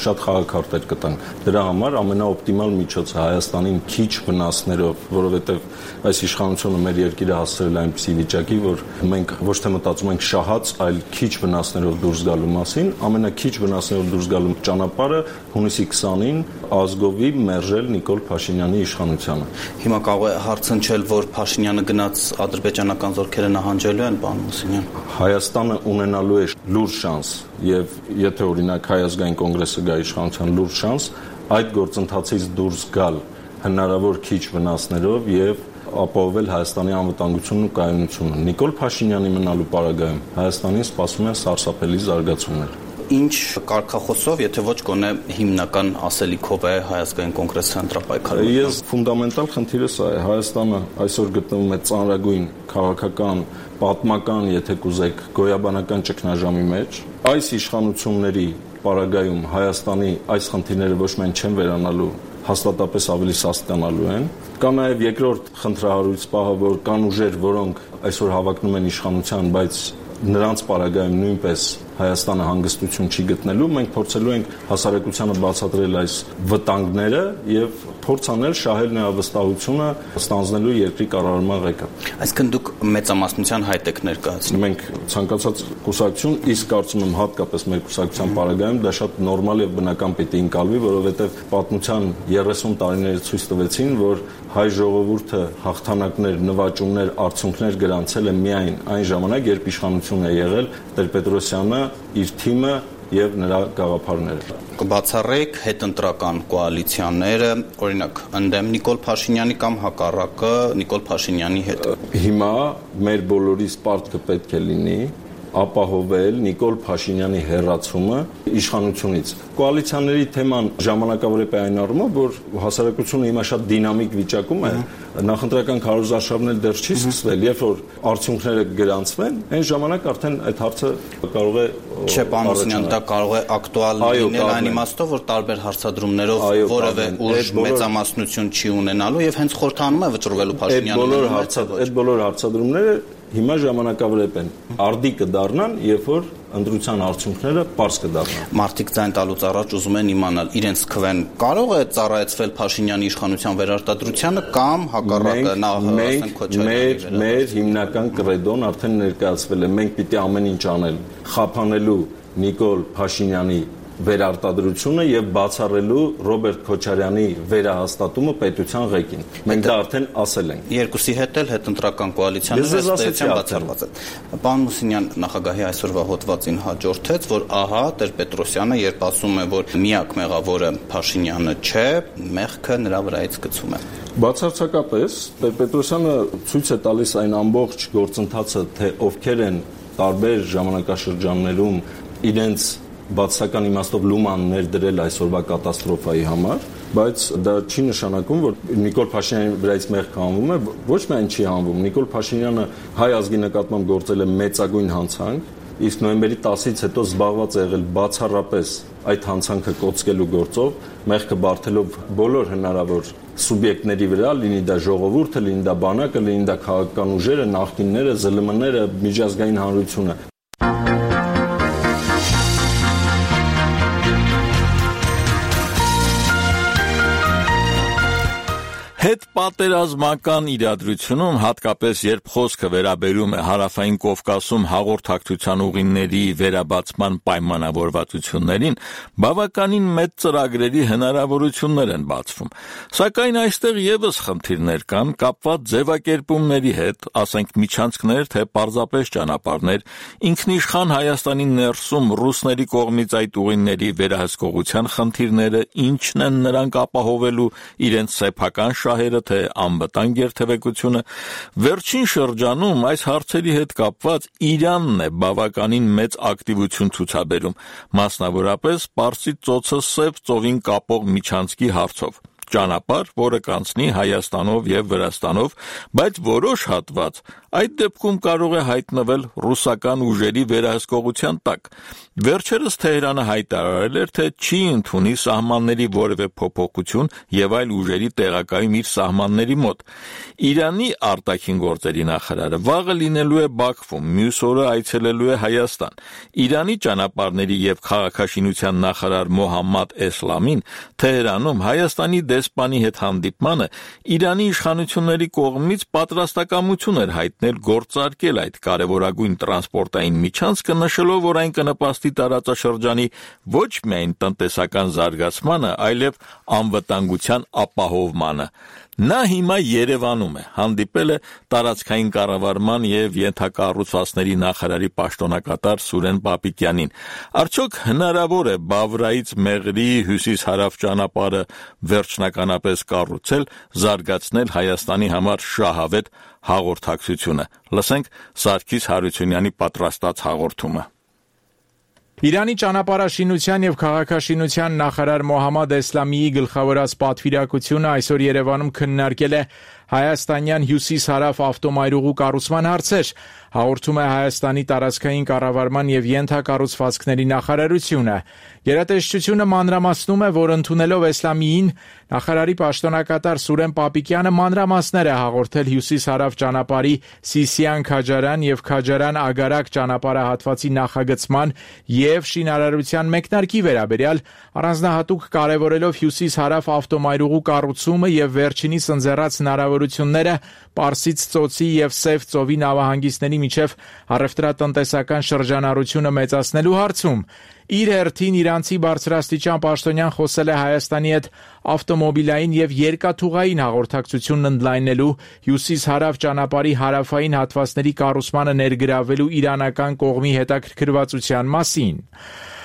շատ խաղաքարտեր կտանք։ Դրա համար ամենաօպտիմալ միջոցը Հայաստանին քիչ վնասներով, որովհետև այս իշխանությունը մեր երկիրը հասցրել է այնպիսի վիճակի, որ մենք ոչ թե մտածում ենք շահած, այլ քիչ վնասներով դուրս գալու մասին, ամենաքիչ վնասներով դուրս գալու ճանապարհը հունիսի քսանին ազգովի մերժել Նիկոլ Փաշինյանի իշխանությանը։ Հիմա կարող է հարցնչել, որ Փաշինյանը գնաց ադրբեջանական զորքերը նահանջելու են, պարոն Մուսինյան։ Հայաստանը ունենալու է լուրջ շանս, եւ եթե օրինակ Հայ ազգային կոնգրեսը գա իշխանության լուրջ շանս այդ գործընթացից դուրս գալ հնարավոր քիչ վնասներով եւ ապահովել Հայաստանի անվտանգությունն ու կայունությունը։ Նիկոլ Փաշինյանի մնալու պարագայում Հայաստանին սպասում են սարսափելի զարգացումներ։ Ինչ կարգախոսով, եթե ոչ գոնե հիմնական ասելիքով է Հայ ազգային կոնգրեսը ընտրապայքարում։ Ես ֆունդամենտալ խնդիրը սա է։ Հայաստանը այսօր գտնվում է ծանրագույն քաղաքական, պատմական, եթե կուզեք, գոյաբանական ճգնաժամի մեջ։ Այս իշխանությունների պարագայում Հայաստանի այս խնդիրները ոչ միայն չեն վերանալու, հաստատապես ավելի սաստկանալու են։ Կա նաև երկրորդ խնդրահարույց պահը, որ կան ուժեր, որոնք այսօր հավակնում են իշխանության, բայց նրանց պարագայում նույնպես Հայաստանը հանգստություն չի գտնելու, մենք փորձելու ենք հասարակությանը բացատրել այս վտանգները եւ փորձ անել շահել նրա վստահությունը ստանձնելու երկրի կառավարման ղեկը։ Այսինքն դուք մեծամասնության հայտ եք ներկայացնում։ Մենք ցանկացած կուսակցություն, իսկ կարծում եմ հատկապես մեր կուսակցության պարագայում դա շատ նորմալ եւ բնական պիտի ընկալվի, որովհետեւ պատմության երեսուն տարիները ցույց տվեցին, որ հայ ժողովուրդը հաղթանակներ, նվաճումներ, արդյունքներ գրանցել է միայն այն ժամանակ, երբ իշխանություն է եղել Տեր-Պետրոսյանը, իր թիմը եւ նրա գաղափարները։ Կբացառեք հետընտրական կոալիցիաները, օրինակ, ընդդեմ Նիկոլ Փաշինյանի կամ հակառակը Նիկոլ Փաշինյանի հետ։ Հիմա մեր բոլորիս պարտքը պետք է լինի ապահովել Նիկոլ Փաշինյանի հեռացումը իշխանությունից։ Կոալիցիաների թեման ժամանակավոր է այն առումով, որ հասարակությունը հիմա շատ դինամիկ վիճակում է, նախընտրական քարոզարշավն էլ դեռ չի սկսվել, երբ որ արդյունքները գրանցվեն, այն ժամանակ արդեն այդ հարցը կարող է Չէ, պարոն Մուսինյան, դա կարող է ակտուալ լինել այն իմաստով, որ տարբեր հարցադրումներով որևէ ուժ մեծամասնություն չի ունենալու եւ հենց խորհրդանում է վճռվելու Փաշինյանը։ Այդ բոլոր հարցադրումները հիմա ժամանակավոր են։ Արդի կդառնան, երբ որ ընտրության արդյունքները པարզ կդառնան։ Մարդիկ ձայն տալուց առաջ ուզում են իմանալ, իրենց քվեն կարող է ծառայեցվել Փաշինյանի իշխանության վերարտադրությանը կամ հակառակը նա ասենք Քոչարյանի։ Մեր հիմնական կրեդոն արդեն ներկայացվել է։ Մենք պիտի ամեն ինչ անել խափանելու Նիկոլ Փաշինյանի վերարտադրությունը եւ բացառելու Ռոբերտ Քոչարյանի վերահաստատումը պետության ղեկին։ Մենք դա արդեն ասել ենք։ Երկուսի հետ էլ հետընտրական կոալիցիան բացառված է։ Պարոն Մուսինյան, նախագահի այսօրվա հոդվածին հաջորդեց, որ ահա Տեր-Պետրոսյանը, երբ ասում է, որ միակ մեղավորը Փաշինյանը չէ, մեղքը նրա վրայից գցում է։ Բացարձակապես Տեր-Պետրոսյանը ցույց է տալիս այն ամբողջ գործընթացը, թե ովքեր են տարբեր ժամանակաշրջաններում իրենց բացական իմաստով լուման ներդրել այսօրվա կատաստրոֆայի համար, բայց դա չի նշանակում, որ Նիկոլ Փաշինյանի վրայից մեղք հանվում է, ոչ միայն չի հանվում, Նիկոլ Փաշինյանը հայ ազգի նկատմամբ գործել է մեծագույն հանցանք, իսկ նոյեմբերի տասից հետո զբաղված է եղել բացառապես այդ հանցանքը կոծկելու գործով, մեղքը բարթելով բոլոր հնարավոր սուբյեկտների վրա, լինի դա ժողովուրդը, լինի դա բանակը, լինի դա քաղաքական ուժերը, նախկինները, զլ մ ները, միջազգային հանրությունը։ Հետ պատերազմական իրադրությունում, հատկապես երբ խոսքը վերաբերում է Հարավային Կովկասում հաղորդակցության ուղիների վերաբացման պայմանավորվածություններին, բավականին մեծ ծրագրերի հնարավորություններ են բացվում։ Սակայն այստեղ եւս խնդիրներ կան, կապված ձևակերպումների հետ, ասենք միջանցքներ, թե պարզապես ճանապարհներ, ինքնիշխան Հայաստանի ներսում ռուսների կողմից այդ ուղիների վերահսկողության խնդիրները, ինչն են նրանք ապահովելու իրենց սեփական շահերը, թե անվտանգ երթևեկությունը, վերջին շրջանում այս հարցերի հետ կապված Իրանն է բավականին մեծ ակտիվություն ցուցաբերում, մասնավորապես Պարսից ծոցը Սև ծովին կապող միջանցքի հարցով։ Ճանապարհ, որը կանցնի Հայաստանով եւ Վրաստանով, բայց որոշ հատված այդ դեպքում կարող է հայտնվել ռուսական ուժերի վերահսկողության տակ։ Վերջերս Թեհրանը հայտարարել էր, թե չի ընդունի սահմանների որևէ փոփոխություն եւ այլ ուժերի տեղակայում իր սահմանների մոտ։ Իրանի արտաքին գործերի նախարարը վաղը լինելու է Բաքվում, մյուս օրը այցելելու է Հայաստան։ Իրանի ճանապարհների եւ քաղաքաշինության նախարար Մոհամմադ Էսլամին Թեհրանում Հայաստանի դեսպանի հետ հանդիպմանը Իրանի իշխանությունների կողմից պատրաստակամություն էր հայտնել գործարկել այդ կարևորագույն տրանսպորտային միջանցքը, նշելով, որ այն կնպաստի տարածաշրջանի ոչ միայն տնտեսական զարգացմանը, այլև անվտանգության ապահովմանը։ Նա հիմա Երևանում է, հանդիպել է տարածքային կառավարման եւ ենթակառուցվածքների նախարարի պաշտոնակատար Սուրեն Պապիկյանին։ Արդյոք հնարավոր է Բավրայից Մեղրի հյուսիս-հարավ ճանապարհը վերջնականապես կառուցել, զարգացնել Հայաստանի համար շահավետ հաղորդակցությունը։ Լսենք Սարգիս Հարությունյանի պատրաստած հաղորդումը։ Իրանի ճանապարհաշինության եւ քաղաքաշինության նախարար Մոհամմադ Էսլամիի գլխավորած պատվիրակությունը այսօր Երևանում քննարկել է հայաստանյան հյուսիս-հարավ ավտոմայրուղու կառուցման հարցեր, հաղորդում է Հայաստանի տարածքային կառավարման եւ ենթակառուցվածքների նախարարությունը։ Գերատեսչությունը մանրամասնում է, որ ընդունելով Էսլամիին, նախարարի պաշտոնակատար Սուրեն Պապիկյանը մանրամասներ է հաղորդել հյուսիս-հարավ ճանապարհի Սիսիան-Քաջարան եւ Քաջարան-Ագարակ ճանապարհահատվածի նախագծման եւ շինարարության մեկնարկի վերաբերյալ, առանձնահատուկ կարևորելով հյուսիս-հարավ ավտոմայրուղու կառուցումը եւ վերջինիս ընձեռած հնարավորությունները Պարսից ծոցի եւ Սև ծովի նավահանգիստների միջև առևտրատնտեսական շրջանառությունը մեծացնելու հարցում։ Իր հերթին իրանցի բարձրաստիճան պաշտոնյան խոսել է Հայաստանի հետ ավտոմոբիլային եւ երկաթուղային հաղորդակցությունն ընդլայնելու, հյուսիս-հարավ ճանապարհի հարավային հատվածների կառուցմանը ներգրավելու իրանական կողմի հետաքրքրվածության մասին։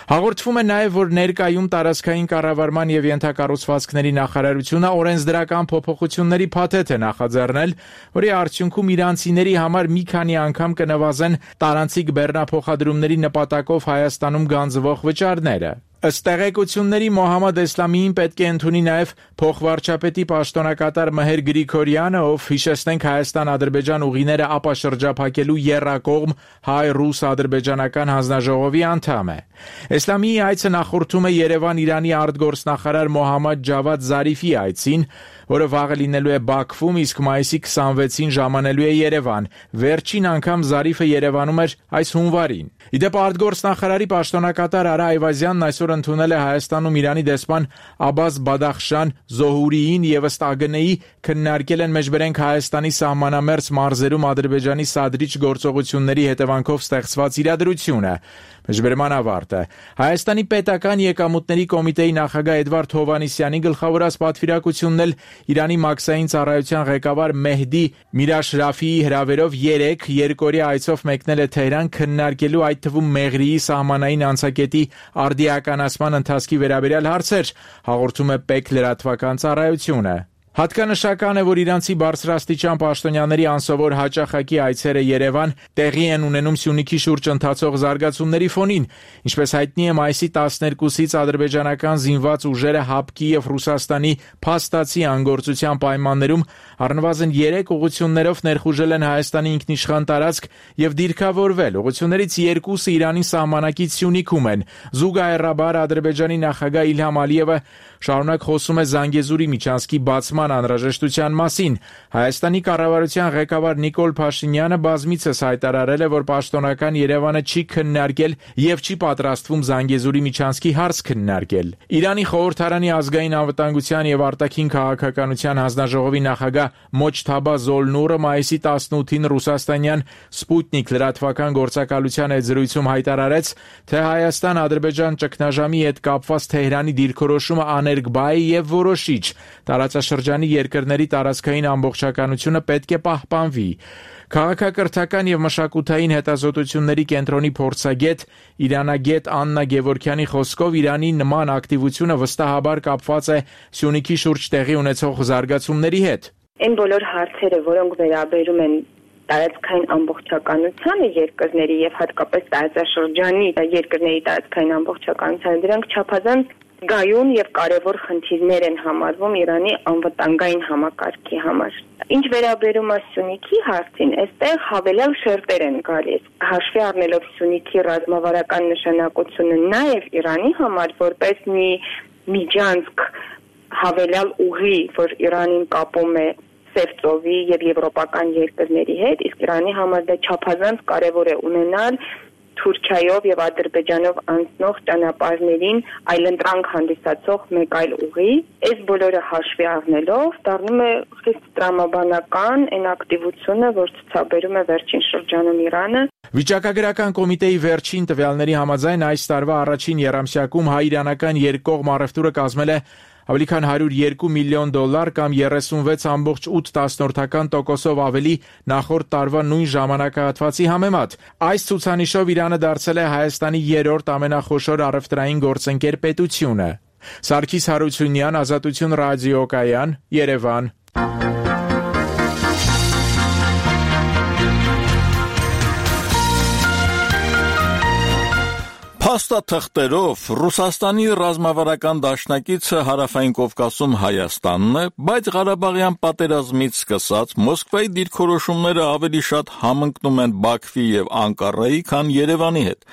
Հաղորդվում է նաև, որ ներկայում տարածքային կառավարման եւ ենթակառուցվածքների նախարարությունը օրենսդրական փոփոխությունների փաթեթ է նախաձեռնել, որի արդյունքում իրանցիների համար մի քանի անգամ կնվազեն տարանցիկ բեռնափոխադրումների նպատակով Հայաստանում գանձվող վճարները։ Ըստ տեղեկությունների Մոհամմադ Էսլամիին պետք է ընդունի նաև փոխվարչապետի պաշտոնակատար Մհեր Գրիգորյանը, ով հիշեցնենք Հայաստան-Ադրբեջան ուղիները ապաշրջափակելու եռակողմ հայ-ռուս-ադրբեջանական հանձնաժողովի անդամ է։ Էսլամիի այցը նախորդում է Երևան-Իրանի արտգործնախարար Մոհամմադ Ջավադ Զարիֆի այցին, որը վաղը լինելու է Բաքվում, իսկ մայիսի քսանվեցին ժամանելու է Երևան։ Վերջին անգամ Զարիֆը Երևանում էր այս հունվարին։ Իդեպ արտգործնախարարի պաշտոնակատար Արա Այվազյանն այսօր ընդունել է Հայաստանում Իրանի դեսպան Աբբաս Բադախշան Զոհուրիին եւ ըստ ԱԳՆ-ի քննարկել են մեջբերենք Հայաստանի սահմանամերձ մարզերում Ադրբեջանի սադրիչ գործողությունների հետևանքով ստեղծված իրադրությունը։ Մեջբերման ավարտը։ Հայաստանի պետական եկամուտների կոմիտեի նախագահ Էդվարդ Հովհաննիսյանի գլխավորած պատվիրակությունն էլ Իրանի մաքսային ծառայության ղեկավար Մեհդի Միրաշրաֆիի հրավերով երեք երկօրյա այցով մեկնել է Թեհրան քննարկելու այդ թվում Մեղրիի սահմանային անցակետի արդիականացման ընթացքի վերաբերյալ հարցեր, հաղորդում է ՊԵԿ լրատվական ծառայությունը։ Հատկանշական է, որ իրանցի բարձրաստիճան պաշտոնյաների անսովոր հաճախակի այցերը Երևան տեղի են ունենում Սյունիքի շուրջ ընթացող զարգացումների ֆոնին, ինչպես հայտնի է մայիսի տասներկուսից ադրբեջանական զինված ուժերը ՀԱՊԿ-ի եւ Ռուսաստանի փաստացի անգործության պայմաններում առնվազն երեք ուղղություններով ներխուժել են Հայաստանի ինքնիշխան տարածք եւ դիրքավորվել։ Ուղղություններից երկուսը Իրանի սահմանակից Սյունիքում են։ Զուգահեռաբար Ադրբեջանի նախագահ Իլհամ Ալիևը շարունակ խոսում է Զանգեզուրի միջանցքի բացման անհրաժեշտության մասին։ Հայաստանի կառավարության ղեկավար Նիկոլ Փաշինյանը բազմիցս հայտարարել է, որ պաշտոնական Երևանը չի քննարկել եւ չի պատրաստվում Զանգեզուրի միջանցքի հարց քննարկել։ Իրանի խորհրդարանի ազգային անվտանգության եւ արտաքին քաղաքականության հանձնաժողովի նախագահ Մոջթաբա Զոլնուրը մայիսի տասնութին ռուսաստանյան Սպուտնիկ լրատվական գործակալության հետ զրույցում հայտարարեց, թե Հայաստան-Ադրբեջան ճգնաժամի հետ կապված Թեհրանի դիրքորոշումը աներկբա է եւ որոշիչ։ Տարածաշրջանի երկրների տարածքային ամբողջականությունը պետք է պահպանվի։ Քաղաքակրթական եւ մշակութային հետազոտությունների կենտրոնի փորձագետ իրանագետ Աննա Գևորքյանի խոսքով Իրանի նման ակտիվությունը վստահաբար կապված է Սյունիքի շուրջ տեղի ունեցող զարգացումների հետ։ Այն բոլոր հարցերը, որոնք վերաբերում են տարածքային ամբողջականությանը երկրների եւ հատկապես տարածաշրջանի երկրների տարածքային ամբողջականությանը, դրանք չափազանց գայուն եւ կարեւոր խնդիրներ են համարվում Իրանի անվտանգային համակարգի համար։ Ինչ վերաբերում է Սյունիքի հարցին, այստեղ հավելյալ շերտեր են գալիս։ Հաշվի առնելով Սյունիքի ռազմավարական նշանակությունը նաեւ Իրանի համար որպես մի միջանցք հավելյալ ուղի, որ Իրանին կապում է Սևծովի եւ եվրոպական երկրների հետ, իսկ Իրանի համար դա չափազանց կարեւոր է ունենալ Թուրքիայով եւ Ադրբեջանով անցնող ճանապարհներին այլընտրանք հանդիսացող մեկ այլ ուղի, այս բոլորը հաշվի առնելով դառնում է խիստ տրամաբանական այն ակտիվությունը, որ ցուցաբերում է վերջին շրջանում Իրանը։ Վիճակագրական կոմիտեի վերջին տվյալների համաձայն այս տարվա առաջին եռամսյակում հայ-իրանական երկկողմ առևտուրը կազմել է ավելի քան հարյուր երկու միլիոն դոլար կամ երեսունվեց կόμμα ութ տոկոսով ավելի նախորդ տարվա նույն ժամանակահատվածի համեմատ։ Այս ցուցանիշով Իրանը դարձել է Հայաստանի երրորդ ամենախոշոր առևտրային գործընկեր պետությունը։ Սարգիս Հարությունյան, Ազատություն ռադիոկայան, Երևան։ Փաստաթղթերով Ռուսաստանի ռազմավարական դաշնակիցը Հարավային Կովկասում Հայաստանն է, բայց Ղարաբաղյան պատերազմից սկսած Մոսկվայի դիրքորոշումները ավելի շատ համընկնում են Բաքվի եւ Անկարայի, քան Երևանի հետ։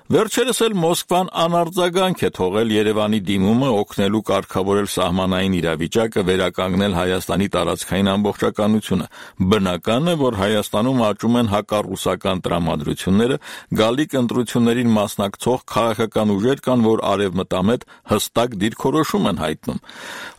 Վերջերս էլ Մոսկվան անարձագանք է թողել Երևանի դիմումը օգնելու կարգավորել սահմանային իրավիճակը վերականգնել Հայաստանի տարածքային ամբողջականությունը։ Բնական է, որ Հայաստանում աճում են հակառուսական տրամադրությունները, գալիք ընտրություններին մասնակցող քաղաքական ուժեր կան, որ արևմտամետ հստակ դիրքորոշում են հայտնում։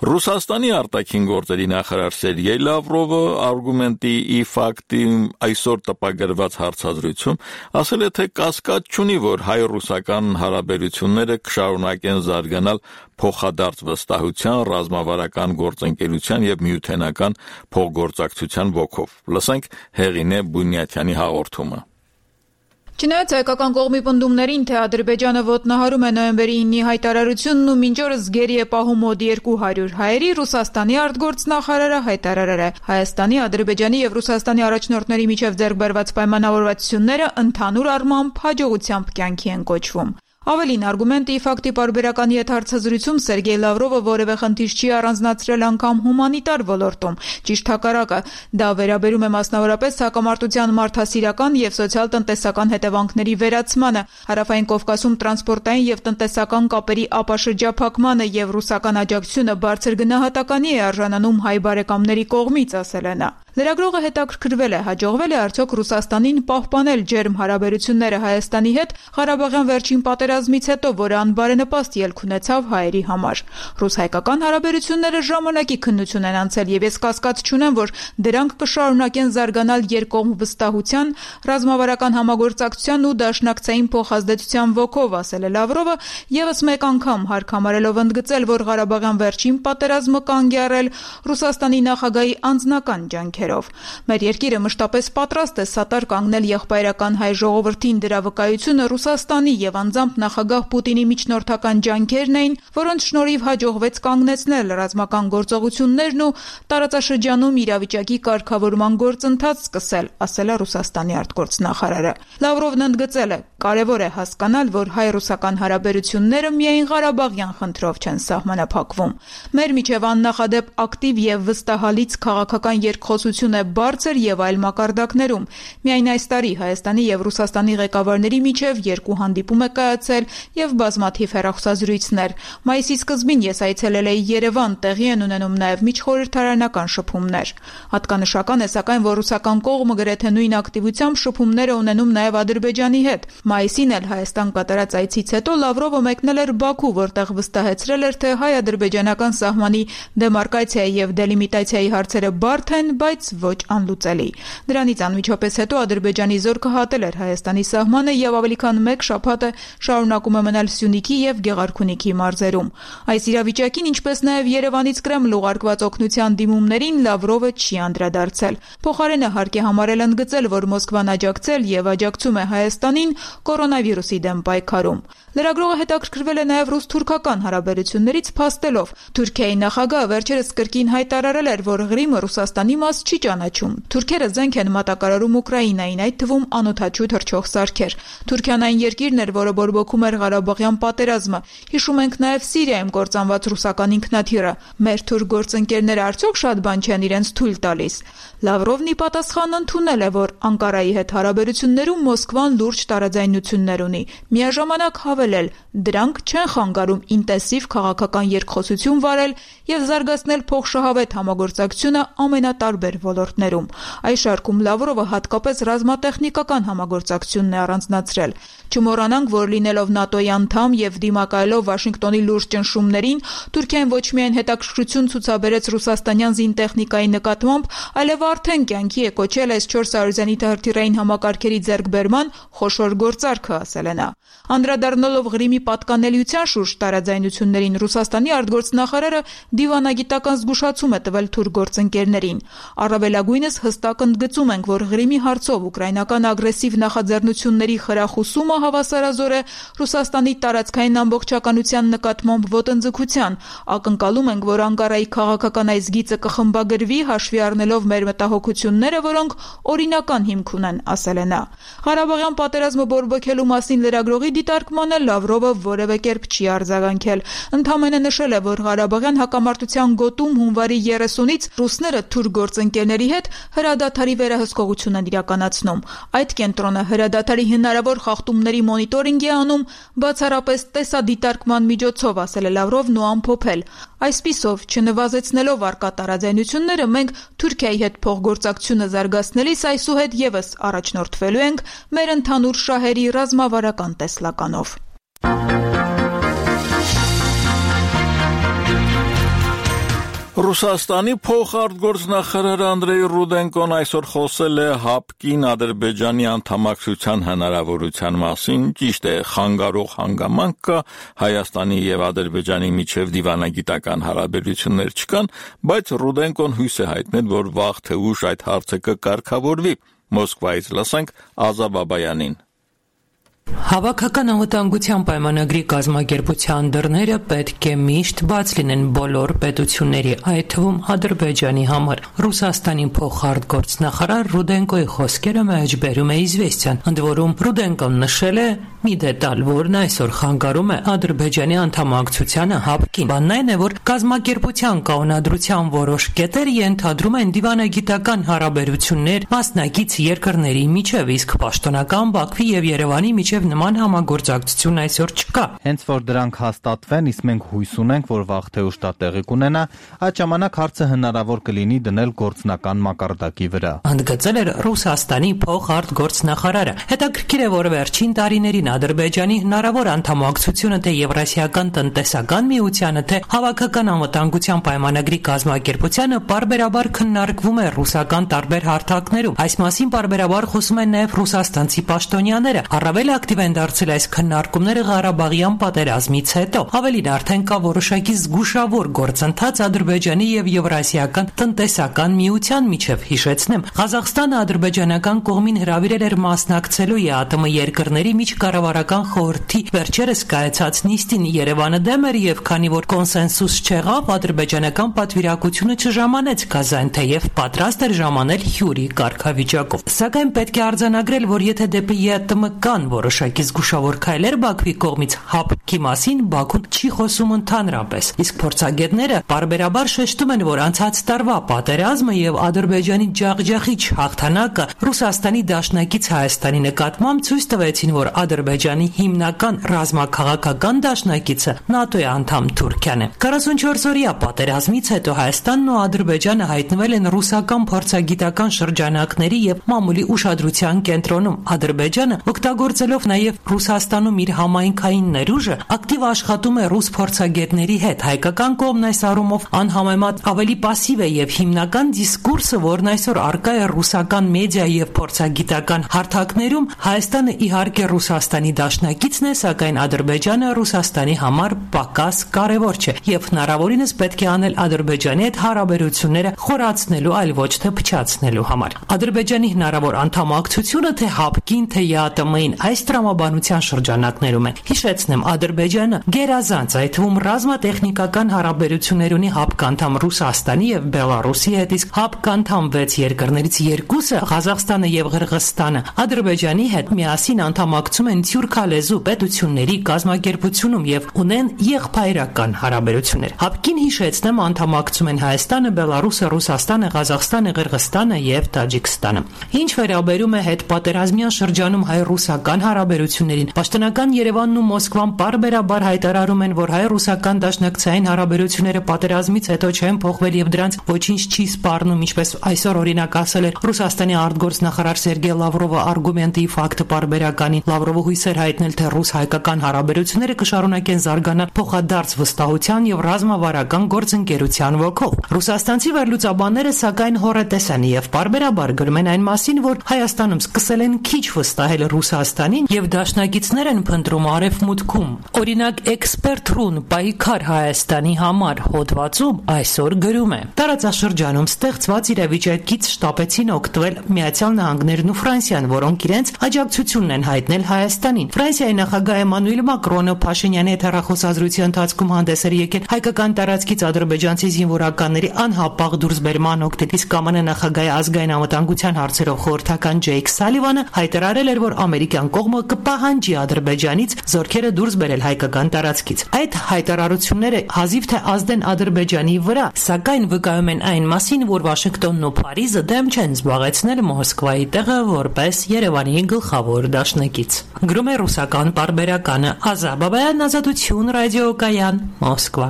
Ռուսաստանի արտաքին գործերի նախարար Սերգեյ Լավրովը արգումենտի ի ֆակտի այսօր տպագրված հարցազրույցում ասել է, թե կասկած չունի, որ հայ-ռուսական հարաբերությունները կշարունակեն զարգանալ փոխադարձ վստահության, ռազմավարական գործընկերության եւ միութենական փոխգործակցության ոգով։ Լսենք Հեղինե Բունյաթյանի հաղորդումը։ Չնայած հայկական կողմի պնդումներին, թե Ադրբեջանը ոտնահարում է նոյեմբերի իննի հայտարարությունն ու մինչ օրս գերի է պահում մոտ երկու հարյուր հայերի, Ռուսաստանի արտգործնախարարը հայտարարել է. Հայաստանի, Ադրբեջանի եւ Ռուսաստանի առաջնորդների միջև ձեռք բերված պայմանավորվածությունները ընդհանուր առմամբ հաջողությամբ կյանքի են կոչվում։ Ավելին, արգումենտի ի ֆակտի պարբերականի հետ հարցազրույցում Սերգեյ Լավրովը որևէ խնդիր չի առանձնացրել անգամ հումանիտար ոլորտում։ Ճիշտ հակառակը, դա վերաբերում է մասնավորապես հակամարտության մարդասիրական եւ սոցիալ-տնտեսական հետևանքների վերացմանը, Հարավային Կովկասում տրանսպորտային եւ տնտեսական կապերի ապաշրջափակմանը եւ ռուսական աջակցությունը բարձր գնահատականի է արժանանում հայ բարեկամների կողմից, ասել է նա։ Լրագրողը հետաքրքրվել է, հաջողվել է արդյոք Ռուսաստանին պահպանել ջերմ հարաբերությունները Հայաստանի հետ Ղարաբաղյան վերջին պատերազմից հետո, որը անբարենպաստ ելք ունեցավ հայերի համար։ Ռուս-հայկական հարաբերությունները ժամանակի քննություն են անցել, եւ ես կասկած չունեմ, որ դրանք կշարունակեն զարգանալ երկկողմ վստահության, ռազմավարական համագործակցության ու դաշնակցային փոխազդեցության ոգով, ասել է Լավրովը, եւս մեկ անգամ հարկ համարելով ընդգծել, որ Ղարաբաղյան վերջին պատերազմը կանգ է առել Ռուսաստանի նախագահի անձնական ջանքերով։ Մեր երկիրը մշտապես պատրաստ է սատար կանգնել եղբայրական հայ ժողովրդին, դրա վկայությունը Ռուսաստանի եւ անձամբ նախագահ Պուտինի միջնորդական ջանքերն էին, որոնց շնորհիվ հաջողվեց կանգնեցնել ռազմական գործողություններն ու տարածաշրջանում իրավիճակի կարգավորման գործընթաց սկսել, ասել է Ռուսաստանի արտգործնախարարը։ Լավրովն ընդգծել է, կարևոր է հասկանալ, որ հայ-ռուսական հարաբերությունները միայն Ղարաբաղյան խնդրով չեն սահմանափակվում։ Մեր միջև աննախադեպ ակտիվ եւ վստահալից քաղաքական երկխոսություն է բարձր եւ այլ մակարդակներում։ Միայն այս տարի Հայաստանի եւ Ռուսաստանի ղեկավարների միջև երկու հանդիպում է կայացել եւ բազմաթիվ հեռախոսազրույցներ։ Մայիսի սկզբին ես այցելել էի Երևան, տեղի են ունենում նաեւ միջխորհրդարանական շփումներ։ Հատկանշական է սակայն, որ ռուսական կողմը գրեթե նույն ակտիվությամբ շփումներ է ունենում նաեւ Ադրբեջանի հետ։ Մայիսին էլ Հայաստան կատարած այցից հետո Լավրովը մեկնել էր Բաքու, որտեղ վստահեցրել էր, թե հայ-ադրբեջանական սահմանի դեմարկացիայի եւ դելիմիտացիայի հարցերը բարդ են, բայց ոչ անլուծելի։ Դրանից անմիջապես հետո Ադրբեջանի զորքը հատել էր Հայաստանի սահմանը եւ ավելի քան մեկ շաբաթ է շարունակում է մնալ Սյունիքի եւ Գեղարքունիքի մարզերում։ Այս իրավիճակին, ինչպես նաեւ Երևանից Կրեմլ ուղարկված օգնության դիմումներին Լավրովը չի անդրադարձել։ Փոխարենը հարկ է համարել ընդգծել, որ Մոսկվան աջակցել եւ աջակցում է Հայաստանին կորոնավիրուսի դեմ պայքարում։ Լրագրողը հետաքրքրվել է նաև ռուս-թուրքական հարաբերություններից, փաստելով. Թուրքիայի նախագահը վերջերս կրկին հայտարարել էր, որ Ղրիմը Ռուսաստանի մաս չի ճանաչում։ Թուրքերը զենք են մատակարարում Ուկրաինային, այդ թվում անօդաչու թռչող սարքեր։ Թուրքիան այն երկիրն էր, որը բորբոքում էր Ղարաբաղյան պատերազմը։ Հիշում ենք նաև Սիրիայում կործանված ռուսական ինքնաթիռը։ Մեր թուրք գործընկերները արդյոք շատ բան չեն իրենց թույլ տալիս։ Լավրովն ի պատասխան ընդունել է, որ Անկարայի հետ հարաբերություններում Մոսկվան լուրջ տարաձայնություններ ունի։ Միաժամանակ հավելել, դրանք չեն խանգարում ինտենսիվ քաղաքական երկխոսություն վարել եւ զարգացնել փոխշահավետ համագործակցությունը ամենատարբեր ոլորտներում։ Այս շարքում Լավրովը հատկապես ռազմատեխնիկական համագործակցությունն է առանձնացրել։ Չմոռանանք, որ լինելով ՆԱՏՕ-ի անդամ եւ դիմակայելով Վաշինգտոնի լուրջ ճնշումներին, Թուրքիան ոչ միայն հետաքրքրություն ցուցաբերեց ռուսաստանյան զինտեխնիկայի նկատմամբ, այլև արդեն կյանքի է կոչել էս չորս հարյուր զենիթահրթիռային համակարգերի ձեռքբերման խոշոր գործարքը, ասել է նա։ Անդրադառնալով Ղրիմի պատկանելիության շուրջ տարաձայնություններին, Ռուսաստանի արտգործնախարարը դիվանագիտական զգուշացում է տվել թուրք գործընկերներին։ Առավելագույնս հստակ ընդգծում ենք, որ Ղրիմի հարցով ուկրաինական ագրեսիվ նախաձեռնությունների խրախուսումը հավասարազոր է Ռուսաստանի տարածքային ամբողջականության նկատմամբ ոտնձգության։ Ակնկալում ենք, որ Անկարայի քաղաքական այս գիծը կխմբագրվի, հաշվի առնելով մեր մտահոգությունները, որոնք օրինական հիմք ունեն, ասել է նա։ Ղարաբաղյան պատերազմը բորբոքելու մասին լրագրողի դիտարկմանը Լավրովը որևէ կերպ չի արձագանքել։ Ընդամենը նշել է, որ Ղարաբաղյան հակամարտության գոտում հունվարի երեսունից ռուսները թուրք գործընկերների հետ հրադադարի վերահսկողություն են իրականացնում։ Այդ կենտրոնը հրադադարի հնարավոր խախտումների մոնիտորինգ է անում բացառապես տեսադիտարկման միջոցով, ասել է Լավրովն ու ամփոփել։ Այսպիսով, չնվազեցնելով առկա տարաձայնությունները, մենք Թուրքիայի հետ փոխգործակցությունը զարգացնելիս այսուհետ եւս առաջնորդվելու ենք մեր ընդհանուր շահերի ռազմավարական տեսլականով։ Ռուսաստանի փոխարտգործնախարար Անդրեյ Ռուդենկոն այսօր խոսել է ՀԱՊԿ-ին Ադրբեջանի անդամակցության հնարավորության մասին, ճիշտ է, խանգարող հանգամանք կա, Հայաստանի եւ Ադրբեջանի միջև դիվանագիտական հարաբերություններ չկան, բայց Ռուդենկոն հույս է հայտնել, որ վաղ թե ուշ այդ հարցը կկարգավորվի։ Մոսկվայից լսենք Ազա Բաբայանին։ Հավաքական անվտանգության պայմանագրի կազմակերպության դռները պետք է միշտ բաց լինեն բոլոր պետությունների, այդ թվում Ադրբեջանի համար։ Ռուսաստանի փոխարտգործնախարար Ռուդենկոյի խոսքերը մեջբերում է «Իզվեստիան», ընդ որում Ռուդենկոն նշել է մի դետալ, որն այսօր խանգարում է Ադրբեջանի անդամակցությանը ՀԱՊԿ-ին։ Բանն այն է, որ կազմակերպության կանոնադրության որոշ կետեր ենթադրում են դիվանագիտական հարաբերություններ մասնակից երկրների միջև, իսկ պաշտոնական Բաքվի եւ Երևանի միջև միջև նման համագործակցություն այսօր չկա։ Հենց որ դրանք հաստատվեն, իսկ մենք հույս ունենք, որ վաղ թե ուշ դա տեղի կունենա, այդ ժամանակ հարցը հնարավոր կլինի դնել գործնական մակարդակի վրա։ Ընդգծել էր Ռուսաստանի փոխարտգործնախարարը։ Հետաքրքիր է, որ վերջին տարիներին Ադրբեջանի հնարավոր անդամակցությունը թե Եվրասիական տնտեսական միությանը, թե Հավաքական անվտանգության պայմանագրի կազմակերպությանը պարբերաբար քննարկվում է ռուսական տարբեր հարթակներում։ Այս մասին պարբերաբար խոսում են նաև ռուսաստանցի պաշտոնյաները։ Առավել ակտիվ են դարձել այս քննարկումները Ղարաբաղյան պատերազմից հետո։ Ավելին, արդեն կա որոշակի զգուշավոր գործընթաց Ադրբեջանի եւ Եվրասիական տնտեսական միության միջև։ Հիշեցնեմ, Ղազախստանը ադրբեջանական կողմին հրավիրել էր մասնակցելու ԵԱՏՄ երկրների միջկառավարական խորհրդի վերջերս կայացած նիստին։ Երևանը դեմ էր եւ քանի որ կոնսենսուս չեղավ, ադրբեջանական պատվիրակությունը չժամանեց Կազան, թեև պատրաստ էր ժամանել հյուրի կարգավիճակով։ Սակայն պետք է արձանագրել, որ եթե դեպի ԵԱՏՄ կան որոշակի զգուշավոր քայլեր Բաքվի կողմից, հապկի մասին Բաքուն չի խոսում ընդհանրապես։ Իսկ փորձագետները բարբերաբար շեշտում են, որ անցած տարվա պատերազմը եւ Ադրբեջանի ջախջախիչ հաղթանակը Ռուսաստանի դաշնակից Հայաստանի նկատմամբ ցույց տվեցին, որ Ադրբեջանի հիմնական ռազմաքաղաքական դաշնակիցը ՆԱՏՕ-ի անդամ Թուրքիան է։ քառասունչորս օրյա պատերազմից հետո Հայաստանն ու Ադրբեջանը հայտնվել են ռուսական փորձագիտական շրջանակների եւ մամուլի ուշադրության կենտրոնում։ Ադրբեջանը, օգտագործելով նաեւ Ռուսաստանում իր համայնքային ներուժը, ակտիվ աշխատում է ռուս փորձագետների հետ։ Հայկական կողմն այս առումով անհամեմատ ավելի պասիվ է եւ հիմնական դիսկուրսը, որն այսօր առկա է ռուսական մեդիա եւ փորձագիտական հարթակներում, Հայաստանը իհարկե Ռուսաստանի դաշնակիցն է, սակայն Ադրբեջանը Ռուսաստանի համար պակաս կարևոր չէ եւ հնարավորինս պետք է անել Ադրբեջանի հետ հարաբերությունները խորացնելու, այլ ոչ թե փչացնելու համար։ Ադրբեջանի հնարավոր անդամակցությունը թե հապկին, թե ԵԱՏՄ-ին այս տրամաբանության շրջանակներում է։ Հիշեցնեմ, Ադրբեջանը գերազանց, այդ թվում ռազմատեխնիկական հարաբերություններ ունի հապկանդամ Ռուսաստանի եւ Բելարուսի հետ, իսկ հապկանդամ վեց երկրներից երկուսը, Ղազախստանը եւ Ղրղըզստանը, Ադրբեջանի հետ միասին անդամակցում են թյուրքալեզու պետությունների կազմակերպությունում եւ ունեն եղբայրական հարաբերություններ։ Հապկին, հիշեցնեմ, անդամակցում են Հայաստանը, Բելարուսը, Ռուսաստանը, Ղազախստանը, Ղրղըզստանը եւ Տաջիկստանը։ Ինչ վերաբերում է հետպատերազմյան շրջանում հայ-ռուսական հարաբերություններին, պաշտոնական Երևանն ու Մոսկվան պարբերաբար հայտարարում են, որ հայ-ռուսական դաշնակցային հարաբերությունները պատերազմից հետո չեն փոխվել եւ դրանց ոչինչ չի սպառնում, ինչպես այսօր օրինակ ասել էր Ռուսաստանի արտգործնախարար Սերգեյ Լավրովը արգումենտի ֆակտը պարբերականին։ Լավրովը հույս էր հայտնել, թե ռուս-հայկական հարաբերությունները կշարունակեն զարգանալ փոխադարձ վստահության եւ ռազմավարական գործընկերության ոգով։ Ռուսաստանցի վերլուծաբանները սակայն հոռետես են եւ պարբերաբար գրում են այն մասին, որ Հայաստանում սկսել են քիչ վստահել Ռուսաստանին եւ դաշնակիցներ են փնտրում արևմուտքում։ Օրինակ, Էքսպերտ.ru-ն պայքար Հայաստանի համար հոդվածում այսօր գրում է. տարածաշրջանում ստեղծված իրավիճակից շտապեցին օգտվել Միացյալ Նահանգներն ու Ֆրանսիան, որոնք իրենց աջակցությունն են հայտնել Հայաստանին։ Ֆրանսիայի նախագահ Էմանուել Մակրոնը Փաշինյանի հետ հեռախոսազրույցի ընթացքում հանդես էր եկել հայկական տարածքից ադրբեջանցի զինվորականների անհապաղ դուրսբերման օգտին, իսկ ԿՄՆ նախագահի ազգային անվտանգության հարցերով խորհրդական Ջեյք Սալիվանը հայտարարել էր, որ ամերիկյան կողմը կպահանջի Ադրբեջանից զորքերը դուրս բերել հայկական տարածքից։ Այդ հայտարարությունները հազիվ թե ազդեն Ադրբեջանի վրա, սակայն վկայում են այն մասին, որ Վաշինգտոնն ու Փարիզը դեմ չեն զբաղեցնել Մոսկվայի տեղը որպես Երևանի գլխավոր դաշնակից։ Գրում է ռուսական պարբերականը Ազաբաբայան ազատություն ռադիոկայան Մոսկվա։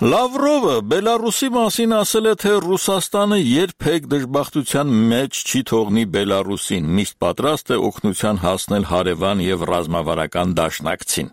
Լավրովը Բելարուսի մասին ասել է, թե Ռուսաստանը երբեք դժբախտության մեջ չի թողնի Բելարուսին, միշտ պատրաստ է օգնության հասնել հարևան եւ ռազմավարական դաշնակցին։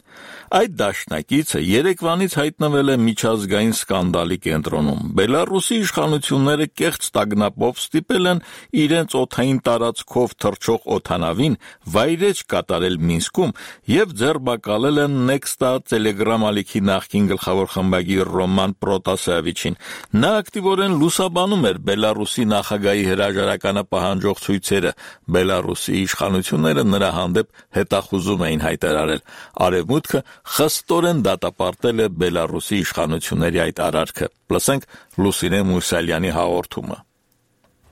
Այդ դաշնակիցը երեկվանից հայտնվել է միջազգային սկանդալի կենտրոնում։ Բելարուսի իշխանությունները կեղծ տագնապով ստիպել են իրենց օդային տարածքով թռչող օդանավին վայրէջք կատարել Մինսկում եւ ձերբակալել են Nexta Telegram ալիքի նախկին գլխավոր խմբագիր Ռոման Պրոտասևիչին։ Նա ակտիվորեն լուսաբանում էր Բելարուսի նախագահի հրաժարականը պահանջող ցույցերը։ Բելարուսի իշխանությունները նրա հանդեպ հետախուզում էին հայտարարել։ Արևմուտքը խստորեն դատապարտել է Բելարուսի իշխանությունների այդ արարքը։ Լսենք Լուսինե Մուսալյանի հաղորդումը։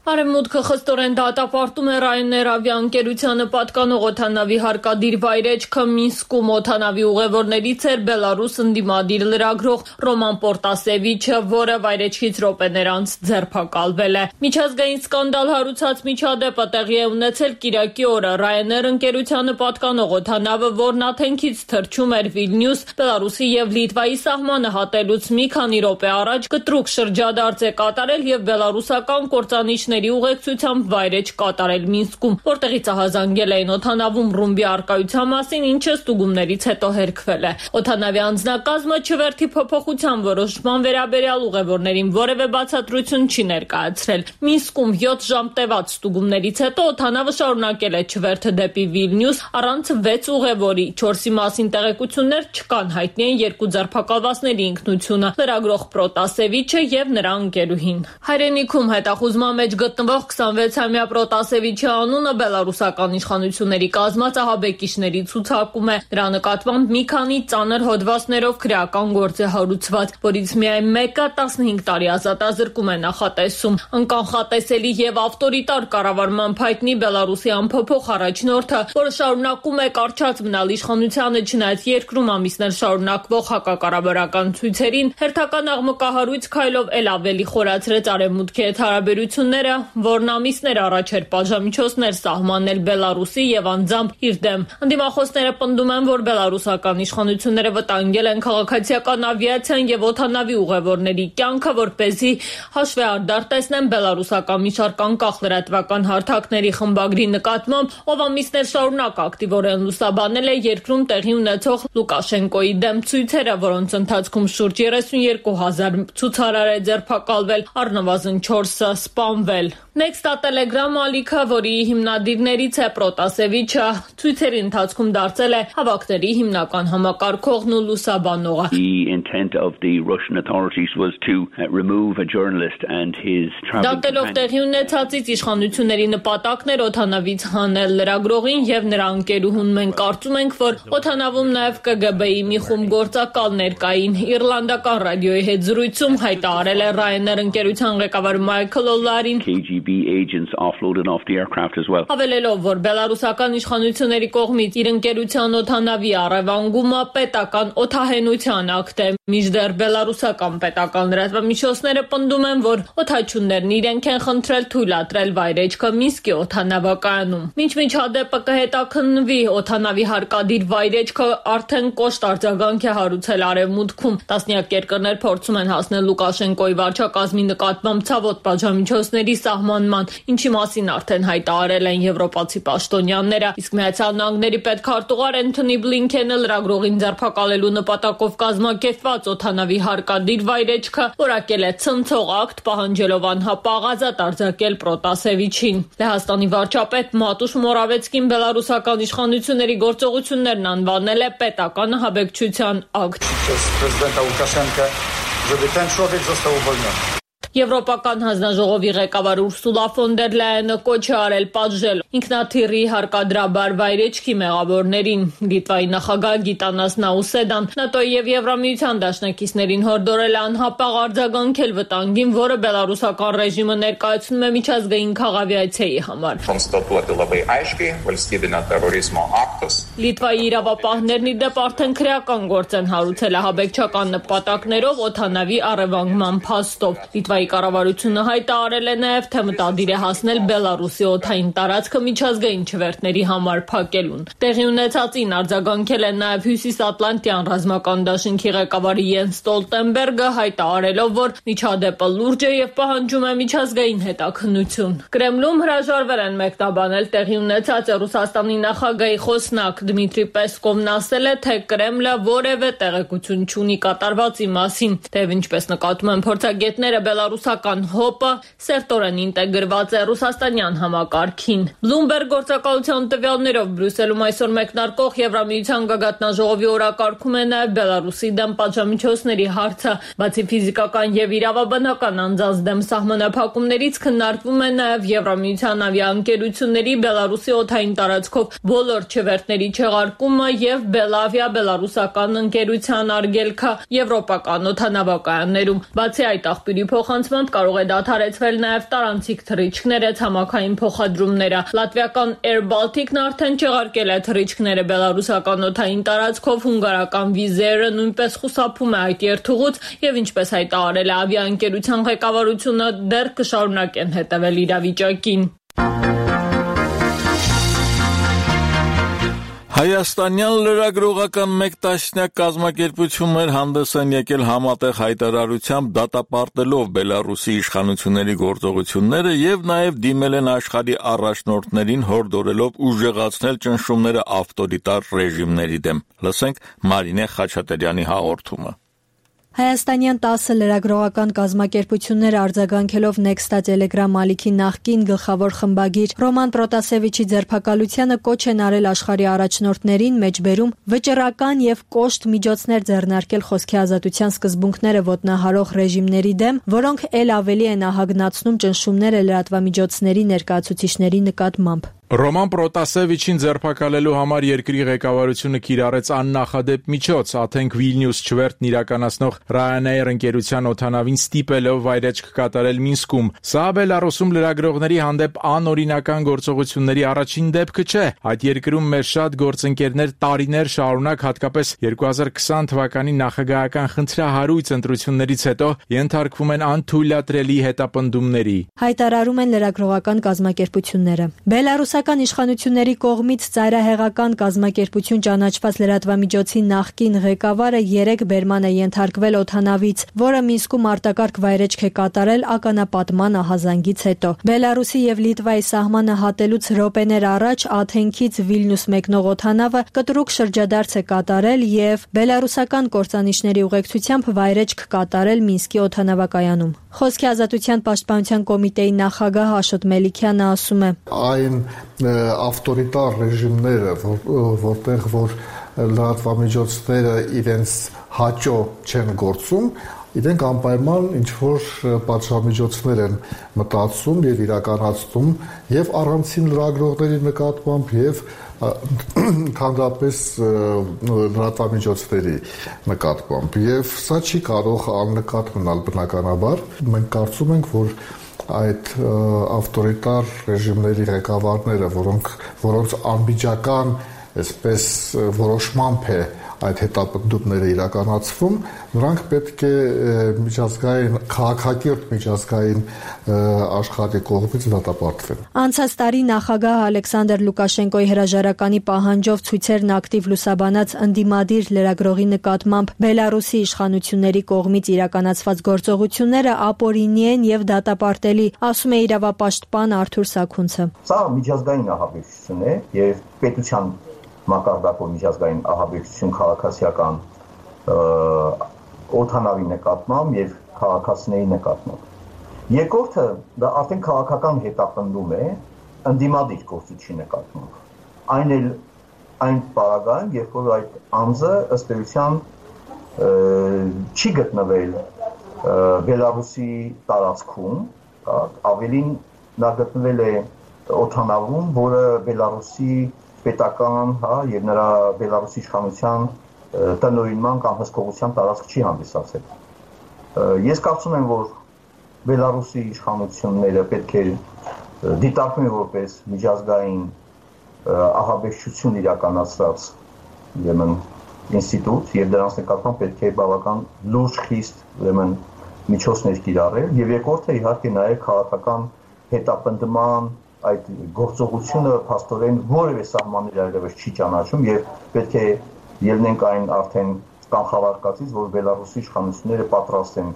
Արևմուտքը խստորեն դատապարտում է Ryanair ավիաընկերությանը պատկանող օդանավի հարկադիր վայրեջքը Մինսկում օդանավի ուղևորներից էր Բելարուս ընդդիմադիր լրագրող Ռոման Պորտասևիչը, որը վայրեջքից րոպեներ անց ձերբակալվել է։ Միջազգային սկանդալ հարուցած միջադեպը տեղի է ունեցել կիրակի օրը։ Ryanair ընկերությանը պատկանող օդանավը, որն Աթենքից թռչում էր Վիլնյուս, Բելարուսի եւ Լիտվայի սահմանը հատելուց մի քանի րոպե առաջ կտրուկ շրջադարձ է կատարել եւ բելարուսական կործանիչների ուղեկցությամբ վայրեջ կատարել Մինսկում, որտեղից ահազանգել էին օդանավում ռումբի առկայության մասին, ինչը ստուգումներից հետո հերքվել է։ Օդանավի անձնակազմը չվերթի փոփոխության որոշման վերաբերյալ ուղևորներին որևէ բացատրություն չի ներկայացրել։ Մինսկում յոթ ժամ տևած ստուգումներից հետո օդանավը շարունակել է չվերթը դեպի Վիլնյուս առանց վեց ուղևորի։ Չորսի մասին տեղեկություններ չկան, հայտնի են երկու ձերբակալվածների ինքնությունը՝ լրագրող Պրոտասևիչը եւ նրա ընկերուհին։ Հայրենիքում հետախուզման մեջ գտնվող քսանվեցամյա Պրոտասևիչի անունը բելարուսական իշխանությունների կազմած ահաբեկիչների ցուցակում է։ Դրա նկատմամբ մի քանի ծանր հոդվածներով քրեական գործ է հարուցված, որից միայն մեկը տասնհինգ տարի ազատազրկում է նախատեսում։ Անկանխատեսելի եւ ավտորիտար կառավարման հայտնի Բելարուսի ամփոփող առաջնորդը, որը շարունակում է կարճած մնալ իշխանությանը չնայած երկրում ամիսներ շարունակվող հակակառավարական ցույցերին, հերթական աղմկահարույց քայլով ել ավելի խորացրեց արևմուտքի հետ հարաբերությունները, որն ամիսներ առաջ էր պատժամիջոցներ սահմանել Բելարուսի եւ անձամբ իր դեմ։ Ընդդիմախոսները պնդում են, որ բելարուսական իշխանությունները վտանգել են քաղաքացիական ավիացիան եւ օդանավի ուղևորների կյանքը, որպեսզի հաշվեհարդար տեսնեն բելարուսական մի շարք անկախ լրատվական հարթակների խմբագրի նկատմամբ, ով ամիսներ շարունակ ակտիվորեն լուսաբանել է երկրում տեղի ունեցող Լուկաշենկոյի դեմ ցույցերը, որոնց ընթացքում շուրջ երեսունյերկու հազար ցուցարար է ձերբակալվել, առնվազն չորսը սպանվել։ Nexta Telegram ալիքը, որի հիմնադիրներից է Պրոտասևիչը, ցույցերի ընթացքում դարձել է հավաքների հիմնական համակարգողն ու լուսաբանողը։ The intent of the Russian authorities was to remove a journalist and his travel. Դատելով տեղի ունեցածից իշխանությունների նպատակն էր օդանավից հանել լրագրողին եւ նրա ընկերուհուն։ Մենք կարծում ենք, որ օդանավում նաեւ Կ Գ Բ-ի մի խումբ գործակալներ կային։ Իռլանդական ռադիոյի հետ զրույցում հայտարարել է Ryanair ընկերության ղեկավար Մայքլ Օլարին K G B agents offloaded off the aircraft as well. Հավելելով, որ բելարուսական իշխանությունների կողմից իր ընկերության օդանավի առևանգումը պետական օդահենության ակտ է, մինչդեռ բելարուսական պետական լրատվամիջոցները պնդում են, որ օդաչուններն իրենք են խնդրել թույլատրել վայրեջքը Մինսկի օդանավակայանում։ Մինչ միջադեպը կհետաքննվի, օդանավի հարկադիր վայրեջքը արդեն կոշտ արձագանք է հարուցել արևմուտքում։ Տասնյակ երկրներ փորձում են հասնել Լուկաշենկոյի վարչակազմի նկատմամբ ցավոտ պատժամիջոցների սահմանման, ինչի մասին արդեն հայտարարել են եվրոպացի պաշտոնյաները, իսկ Միացյալ Նահանգների պետքարտուղար Էնթոնի Բլինքենը լրագրողին ձերբակալելու նպատակով կազմակերպված օդանավի հարկադիր վայրեջքը որակել է ցնցող ակտ, պահանջելով անհապաղ ազատ արձակել Պրոտասևիչին։ Լեհաստանի վարչապետ Մատուշ Մորավեցկին բելարուսական իշխանությունների գործողություններն անվանել է պետական ահաբեկչության ակտ։ Եվրոպական հանձնաժողովի ղեկավար Ուրսուլա ֆոն դեր Լայենը կոչ է արել պատժել ինքնաթիռի հարկադրաբար վայրեջքի մեղավորներին։ Լիտվայի նախագահ Գիտանաս Նաուսեդան ՆԱՏՕ-ի եւ Եվրամիության դաշնակիցներին հորդորել է անհապաղ արձագանքել վտանգին, որը բելարուսական ռեժիմը ներկայացնում է միջազգային քաղաքավիացիայի համար։ Լիտվայի իրավապահներն ի դեպ արդեն քրեական գործ են հարուցել ահաբեկչական նպատակներով օդանավի առևանգման փաստով։ Լիտվայի կառավարությունը հայտարարել է նաև, թե մտադիր է հասնել Բելարուսի օդային տարածքը միջազգային չվերթների համար փակելուն։ Տեղի ունեցածին արձագանքել է նաև Հյուսիսատլանտյան ռազմական դաշինքի ղեկավար Յենս Ստոլտենբերգը, հայտարարելով, որ միջադեպը լուրջ է եւ պահանջում է միջազգային հետաքննություն։ Կրեմլում հրաժարվել են մեկնաբանել տեղի ունեցած Ռուսաստանի նախագահի խոսնակ Դմիտրի Պեսկովն ասել է, թե Կրեմլը որևէ տեղեկություն չունի կատարվածի մասին, թեև ինչպես նկատում են փորձագետները, բելարուսական հոպը սերտորեն ինտեգրված է ռուսաստանյան համակարգին։ Bloomberg գործակալության տվյալներով Բրյուսելում այսօր մեկնարկող Եվրամիության գագաթնաժողովի օրակարգում է նաև Բելարուսի դեմ պատժամիջոցների հարցը։ Բացի ֆիզիկական եւ իրավաբանական անձանց դեմ սահմանափակումներից քննարկվում է նաև Եվրամիության ավիաընկերությունների Բելարուսի օդային տարածքով բոլոր չվերթների չեղարկումը եւ Բելավիա բելարուսական ընկերության արգելքը եվրոպական օդանավակայաններում։ Բացի այդ, աղբյուրի փոխանցում փոխանցմամբ կարող է դադարեցվել նաև տարանցիկ թռիչքները, ցամաքային փոխադրումները։ Լատվիական Air Baltic-ն արդեն չեղարկել է թռիչքները բելարուսական օդային տարածքով, հունգարական Wizz Air-ը նույնպես խուսափում է այդ երթուղուց եւ ինչպես հայտարարել է ավիաընկերության ղեկավարությունը, դեռ կշարունակեն հետևել իրավիճակին։ Հայաստանյան լրագրողական մեկ տասնյակ կազմակերպություններ հանդես են եկել համատեղ հայտարարությամբ դատապարտելով Բելարուսի իշխանությունների գործողությունները եւ նաեւ դիմել են աշխարհի առաջնորդներին հորդորելով ուժեղացնել ճնշումները ավտորիտար ռեժիմների դեմ։ Լսենք Մարինե Խաչատրյանի հաղորդումը։ Հայաստանյան տասը լրագրողական կազմակերպություններ արձագանքելով Nexta Telegram ալիքի նախկին գլխավոր խմբագիր Ռոման Պրոտասևիչի ձերբակալությանը կոչ են արել աշխարհի առաջնորդներին, մեջբերում վճռական եւ կոշտ միջոցներ ձեռնարկել խոսքի ազատության սկզբունքները ոտնահարող ռեժիմների դեմ, որոնք ել ավելի են ահագնացնում ճնշումները լրատվամիջոցների ներկայացուցիչների նկատմամբ։ Ռոման Պրոտասևիչին ձերբակալելու համար երկրի ղեկավարությունը կիրառեց աննախադեպ միջոց, Աթենք Վիլնյուս չվերթն իրականացնող Ryanair ընկերության օդանավին ստիպելով վայրեջք կատարել Մինսկում։ Սա Բելարուսում լրագրողների հանդեպ անօրինական գործողությունների առաջին դեպքը չէ։ Այդ երկրում մեր շատ գործընկերներ տարիներ շարունակ, հատկապես երկու հազար քսան թվականի նախագահական խնդրահարույց ընտրություններից հետո ենթարկվում են անթույլատրելի հետապնդումների։ Հայտարարում են լրագրողական կազմակերպությունները։ Բելարուս Ռուսական իշխանությունների կողմից ծայրահեղական կազմակերպություն ճանաչված լրատվամիջոցի նախկին ղեկավարը երեք բերման է ենթարկվել օդանավից, որը Մինսկում արտակարգ վայրեջք է կատարել ականապատման ահազանգից հետո։ Բելարուսի եւ Լիտվայի սահմանը հատելուց րոպեներ առաջ Աթենքից Վիլնյուս մեկնող օդանավը կտրուկ շրջադարձ է կատարել եւ բելարուսական կործանիչների ուղեկցությամբ վայրեջք կատարել Մինսկի օդանավակայանում։ Խոսքի ազատության պաշտպանության կոմիտեի նախագահ Աշոտ Մելիքյանը ասում է. Այն ավտորիտար ռեժիմները, որտեղ որ լրատվամիջոցները իրենց հաճո չեն գործում, իրենք անպայման ինչ-որ պատժամիջոցներ են մտածում եւ իրականացնում եւ առանցին լրագրողների նկատմամբ եւ ընդհանրապես լրատվամիջոցների նկատմամբ եւ սա չի կարող աննկատ մնալ բնականաբար։ Մենք կարծում ենք, որ այդ ավտորիտար ռեժիմների ղեկավարները, որոնք որոնց անմիջական այսպես որոշմամբ է այդ հետապնդումները իրականացվում, նրանք պետք է միջազգային քաղաքակիրթ միջազգային աշխարհի կողմից դատապարտվեն։ Անցած տարի նախագահ Ալեքսանդր Լուկաշենկոյի հրաժարականի պահանջով ցույցերն ակտիվ լուսաբանած ընդդիմադիր լրագրողի նկատմամբ Բելարուսի իշխանությունների կողմից իրականացված գործողությունները ապօրինի են եւ դատապարտելի, ասում է իրավապաշտպան Արթուր Սաքունցը։ Սա միջազգային ահաբեկչություն է եւ պետության մակարդակով միջազգային ահաբեկչություն քաղաքացիական օդանավի նկատմամբ եւ քաղաքացիների նկատմամբ։ Երկրորդը դա արդեն քաղաքական հետապնդում է ընդդիմադիր գործիչի նկատմամբ։ Այն էլ այն պարագայում, երբ որ այդ անձը ըստ էության չի գտնվել Բելարուսի տարածքում, ավելին նա գտնվել է օդանավում, որը Բելարուսի պետական, հա, եւ նրա Բելարուսի իշխանության տնօրինման կամ հսկողության տարածք չի հանդիսացել։ Ես կարծում եմ, որ Բելարուսի իշխանությունները պետք է դիտարկեն որպես միջազգային ահաբեկչություն իրականացրած ուրեմն ինստիտուտ եւ դրանց նկատմամբ պետք է բավական լուրջ խիստ ուրեմն միջոցներ կիրառել եւ երկրորդը իհարկե նաեւ քաղաքական հետապնդման այդ գործողությունը փաստորեն որևէ սահմաններ այլևս չի ճանաչում եւ պետք է ելնենք այն արդեն կանխավարկածից, որ Բելարուսի իշխանությունները պատրաստ են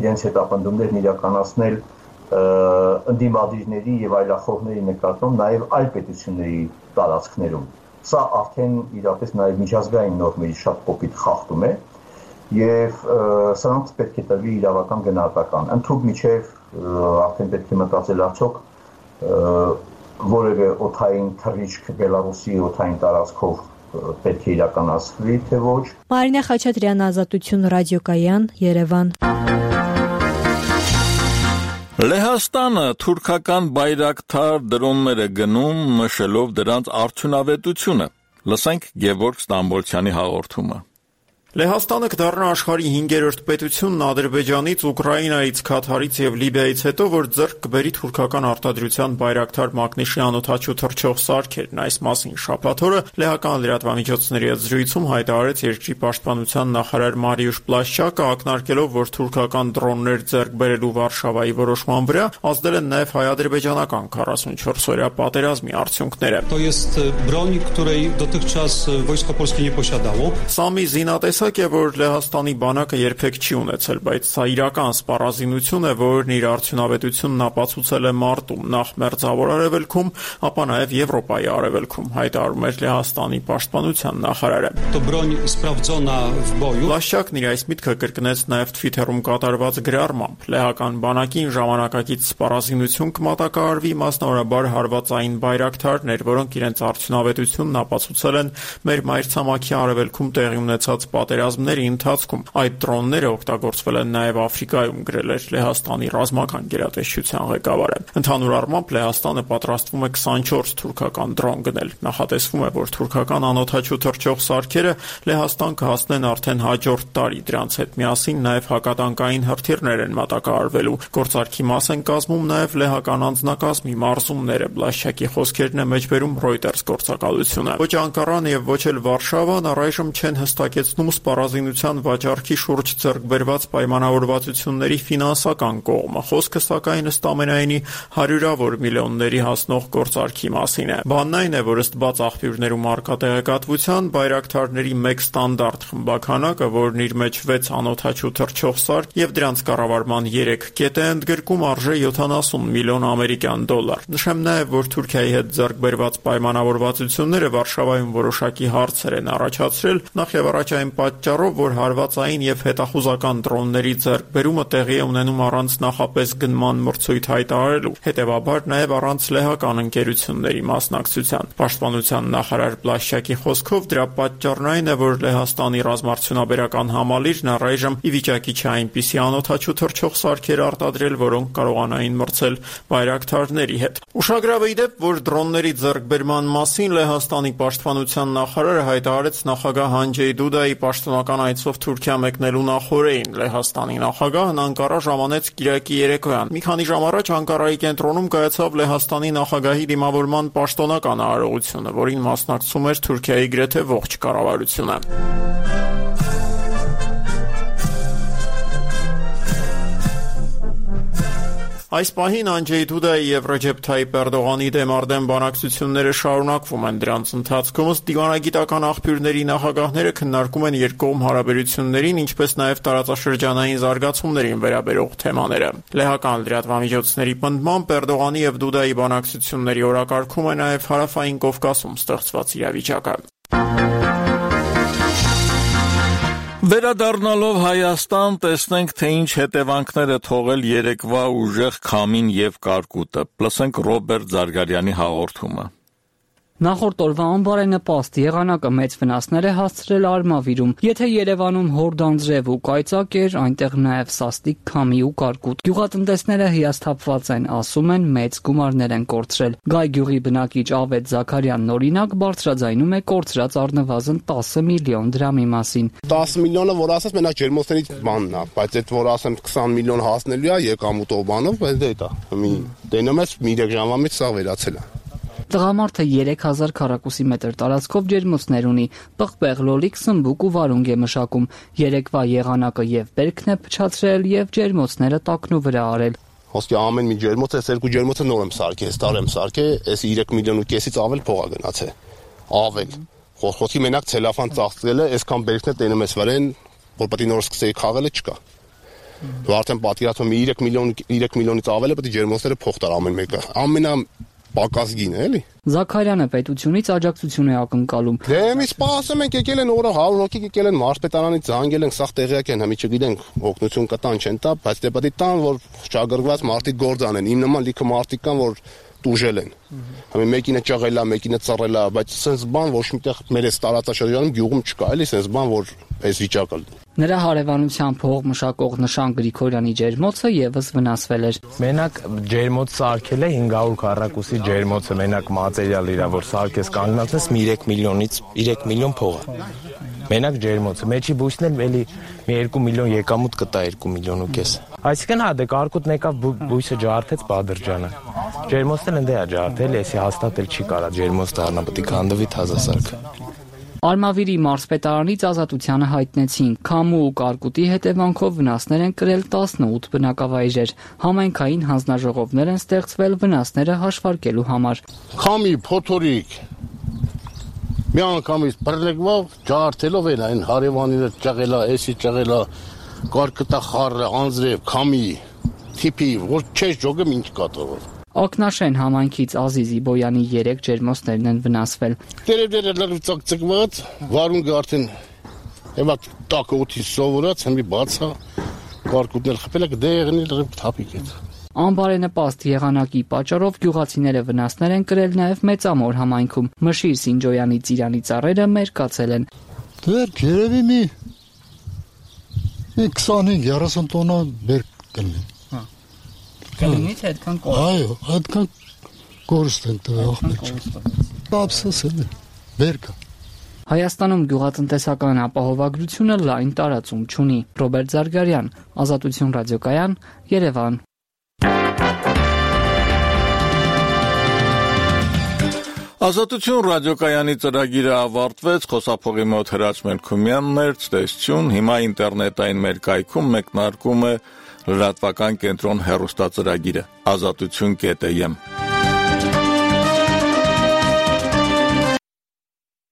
իրենց հետապնդումներն իրականացնել ընդդիմադիրների եւ այլախոհների նկատմամբ նաեւ այլ պետությունների տարածքներում։ Սա արդեն իրապես նաեւ միջազգային նորմերի շատ կոպիտ խախտում է եւ սրանց պետք է տրվի իրավական գնահատական։ Ընդհանուր միջև արդեն պետք է մտածել արդյոք որևէ օդային թռիչք Բելարուսի օդային տարածքով պետք է իրականացվի, թե ոչ։ Մարինե Խաչատրյան, Ազատություն ռադիոկայան, Երևան։ Լեհաստանը թուրքական բայրակթար դրոններ է գնում, նշելով դրանց արդյունավետությունը։ Լսենք Գևորգ Ստամբոլցյանի հաղորդումը։ Լեհաստանը կդառնա աշխարհի հինգերորդ պետությունն Ադրբեջանից, Ուկրաինայից, Քաթարից եւ Լիբիայից հետո, որ ձեռք կբերի թուրքական արտադրության Բայրակթար մակնիշի անօդաչու թռչող սարքերն։ Այս մասին շաբաթ օրը լեհական լրատվամիջոցների հետ զրույցում հայտարարեց երկրի պաշտպանության նախարար Մարիուշ Պլաշչակը, ակնարկելով, որ թուրքական դրոններ ձեռք բերելու Վարշավայի որոշման վրա ազդել են նաեւ հայ-ադրբեջանական քառասունչորս օրյա պատերազմի արդյունքները։ Սամի զինատեսակ է, որ Լեհաստանի բանակը երբեք չի ունեցել, բայց սա իրական սպառազինություն է, որն իր արդյունավետությունն ապացուցել է մարտում, նախ Մերձավոր Արևելքում, ապա նաև Եվրոպայի արևելքում, հայտարարում էր Լեհաստանի պաշտպանության նախարարը։ Պլաշչակն իր այս միտքը կրկնեց նաև Twitter-ում կատարված գրառմամբ։ Լեհական բանակին ժամանակակից սպառազինություն կմատակարարվի, մասնավորաբար հարվածային բայրակթարներ, որոնք իրենց արդյունավետությունն ապացուցել են մեր մայրցամաքի արևելքում տեղի ունեցած պատերազմների ընթացքում։ Այդ դրոնները օգտագործվել են նաև Աֆրիկայում, գրել էր Լեհաստանի ռազմական գերատեսչության ղեկավարը։ Ընդհանուր առմամբ Լեհաստանը պատրաստվում է քսանչորս թուրքական դրոն գնել։ Նախատեսվում է, որ թուրքական անօդաչու թռչող սարքերը Լեհաստան կհասնեն արդեն հաջորդ տարի։ Դրանց հետ միասին նաև հակատանկային հրթիռներ են մատակարարվելու։ Գործարքի մաս են կազմում նաև լեհական անձնակազմի մարզումները։ Պլաշչակի խոսքերն է մեջբերում Reuters գործակալությունը։ Ոչ Անկարան եւ ոչ էլ Վարշավան առայժմ չեն հստակեցնում սպառազինության վաճառքի շուրջ ձեռք բերված պայմանավորվածությունների ֆինանսական կողմը։ Խոսքը սակայն ըստ ամենայնի հարյուրավոր միլիոնների հասնող գործարքի մասին է։ Բանն այն է, որ ըստ բաց աղբյուրներում առկա տեղեկատվության բայրակթարների մեկ ստանդարտ խմբականակը, որն իր մեջ վեց անօդաչու թռչող սարք եւ դրանց կառավարման երեք կետ է ընդգրկում, արժե յոթանասուն միլիոն ամերիկյան դոլար։ Նշեմ նաեւ, որ Թուրքիայի հետ ձեռք բերված պայմանավորվածությունները Վարշավայում որոշակի հարցեր են առաջացրել, նախ եւ առաջ այն պատճառով, որ հարվածային եւ հետախուզական դրոնների ձեռքբերումը տեղի է ունենում առանց նախապես գնման մրցույթ հայտարարելու, հետեւաբար նաեւ առանց լեհական ընկերությունների մասնակցության։ Պաշտպանության նախարար Պլաշչակի խոսքով դրա պատճառն այն է, որ Լեհաստանի ռազմարդյունաբերական համալիրն առայժմ ի վիճակի չէ այնպիսի անօդաչու թռչող սարքեր արտադրել, որոնք կարողանային մրցել բայրակթարների հետ։ Ուշագրավ է ի դեպ, որ դրոնների ձեռքբերման մասին Լեհաստանի պաշտպանության նախարարը հայտարարեց նախագահ Անջեյ Դուդայի պաշտոնական այցով Թուրքիա մեկնելու նախօրեին։ Լեհաստանի նախագահն Անկարա ժամանեց կիրակի երեկոյան։ Մի քանի ժամ առաջ Անկարայի կենտրոնում կայացավ Լեհաստանի նախագահի դիմավորման պաշտոնական արարողությունը, որին մասնակցում էր Թուրքիայի գրեթե ողջ կառավարությունը։ Այս պահին Անջեյ Դուդայի եւ Ռեջեփ Թայիփ Էրդողանի դեմ արդեն բանակցությունները շարունակվում են։ Դրանց ընթացքում ըստ դիվանագիտական աղբյուրների նախագահները քննարկում են երկկողմ հարաբերություններին, ինչպես նաեւ տարածաշրջանային զարգացումներին վերաբերող թեմաները։ Լեհական լրատվամիջոցների պնդմամբ Էրդողանի եւ Դուդայի բանակցությունների օրակարգում է նաեւ Հարավային Կովկասում ստեղծված իրավիճակը։ Վերադառնալով Հայաստան, տեսնենք, թե ինչ հետևանքներ է թողել երեկվա ուժեղ քամին եւ կարկուտը։ Լսենք Ռոբերտ Զարգարյանի հաղորդումը։ Նախորդ օրվա անբարենպաստ եղանակը մեծ վնասներ է հասցրել Արմավիրում։ Եթե Երևանում հորդանձրև ու կայծակ էր, այնտեղ նաև սաստիկ քամի ու կարկուտ։ Գյուղատնտեսները հիասթափված են, ասում են, մեծ գումարներ են կորցրել։ Գայ գյուղի բնակիչ Ավետ Զաքարյանն օրինակ բարձրաձայնում է կորցրած առնվազն տասը միլիոն դրամի մասին։ տասը միլիոնը, որ ասես, մենակ ջերմոցներից բանն է, բայց այդ որ ասեմ քսան միլիոն հասնելու է եկամուտով բանով, բայց դա է։ Մի տենում ես մի երեք ժամվա մեջ սա վերացել է։ Տղամարդը երեք հազար քառակուսի մետր տարածքով ջերմոցներ ունի, պղպեղ, լոլիկ, սմբուկ ու վարունգ է մշակում։ Երեկվա եղանակը եւ բերքն է փչացրել եւ ջերմոցները տակնու վրա արել։ Ոսկե ամեն մի ջերմոց, այս երկու ջերմոցը նոր եմ սարքել, այս տարի եմ սարքել, այս երեք միլիոն ու կեսից ավել փող է գնացել։ Ավել։ Խոսքի մենակ ցելոֆան ծաղկել է, այսքան բերքն է տենում ես վրան, որ պետք է նոր սկսեի խաղելը չկա։ Դու արդեն պատկերացնում ես երեք միլիոն երեք միլիոնից ավել է պետք է ջերմոցները փող տար ամեն մեկը։ Ամենա պակասգին է, էլի։ Զաքարյանը պետությունից աջակցություն է ակնկալում։ Դե մի սպասում ենք, եկել են օրը հարյուր հոգի եկել են մարզպետարանից զանգել են, սաղ տեղյակ են, հիմա չգիտենք օգնություն կտան չեն տա, բայց դե պետք է տան, որ շահագրգռված մարդիկ գործ անեն։ Իմ նման լիքը մարդիկ կան, որ տուժել են։ Համի մեկինը ճաղել է, մեկինը ծռել է, բայց sense բան ոչ միտեղ մեր այս տարածաշրջանում գյուղում չկա, էլի sense բան, որ այս վիճակը լինի։ Նրա հարևանության փող մշակող Նշան Գրիգորյանի ջերմոցը եւս վնասվել էր։ Մենակ ջերմոց սարքել է հինգ հարյուր քառակուսի ջերմոցը, մենակ մատերիալ իրա, որ սարքես կանգնացնես մի երեք միլիոնից երեք միլիոն փող է։ Մենակ ջերմոցը, մեջի բույսն էլ էլի մի երկու միլիոն եկամուտ կտա երկու միլիոն ու կես։ Այսինքն հա դե կարկուտն եկավ բույսը ջարդեց Բադրջանը։ Ջերմոցն էլ ընդե է ջարդել, էսի հաստատել չի կարա ջերմոց դառնա, պետք է քանդվի թազասարք։ Արմավիրի մարզպետարանից Ազատությանը հայտնեցին, քամու ու կարկուտի հետևանքով վնասներ են կրել տասնութ բնակավայրեր։ Համայնքային հանձնաժողովներ են ստեղծվել վնասները հաշվարկելու համար։ Քամի, փոթորիկ, միանգամից բռնեկվով ջարդելով են այն հարևանները ճղելա, էսի ճղելա, կարկտա խառը, անձրև, քամի, թիփի, որ չես ջոգը ինչ կատարով։ Ակնաշեն համայնքից Ազիզի Բոյանի երեք ջերմոցներն են վնասվել։ Տերևները լրիվ ծակծկված, վարունգը արդեն Եվա տակը օդի սովորած, հմի բացա, կարկուտն էլ խփել է, դեղն էլ լրիվ թափիկ է։ Անբարենպաստ եղանակի պատճառով գյուղացիները վնասներ են կրել նաև Մեծամոր համայնքում։ Մշիր Սինջոյանի ծիրանի ծառերը մերկացել են։ Դեռ երևի մի քսանհինգ երեսուն տոննա բերք կլինի։ Հա։ Կլինի թե այդքան կորուստ։ Այո, այդքան կորուստ են տվել աղբեր։ Ապսոսել է, բերքը։ Հայաստանում գյուղատնտեսական ապահովագրությունը լայն տարածում չունի։ Ռոբերտ Զարգարյան, Ազատություն ռադիոկայան, Երևան։ Ազատություն ռադիոկայանի ծրագիրը ավարտվեց, խոսափողի մոտ Հրաչ Մելքումյանն էր, ցտեսություն, հիմա ինտերնետային մեր կայքում մեկնարկում է լրատվական կենտրոն հեռուստածրագիրը ազատություն կետ եմ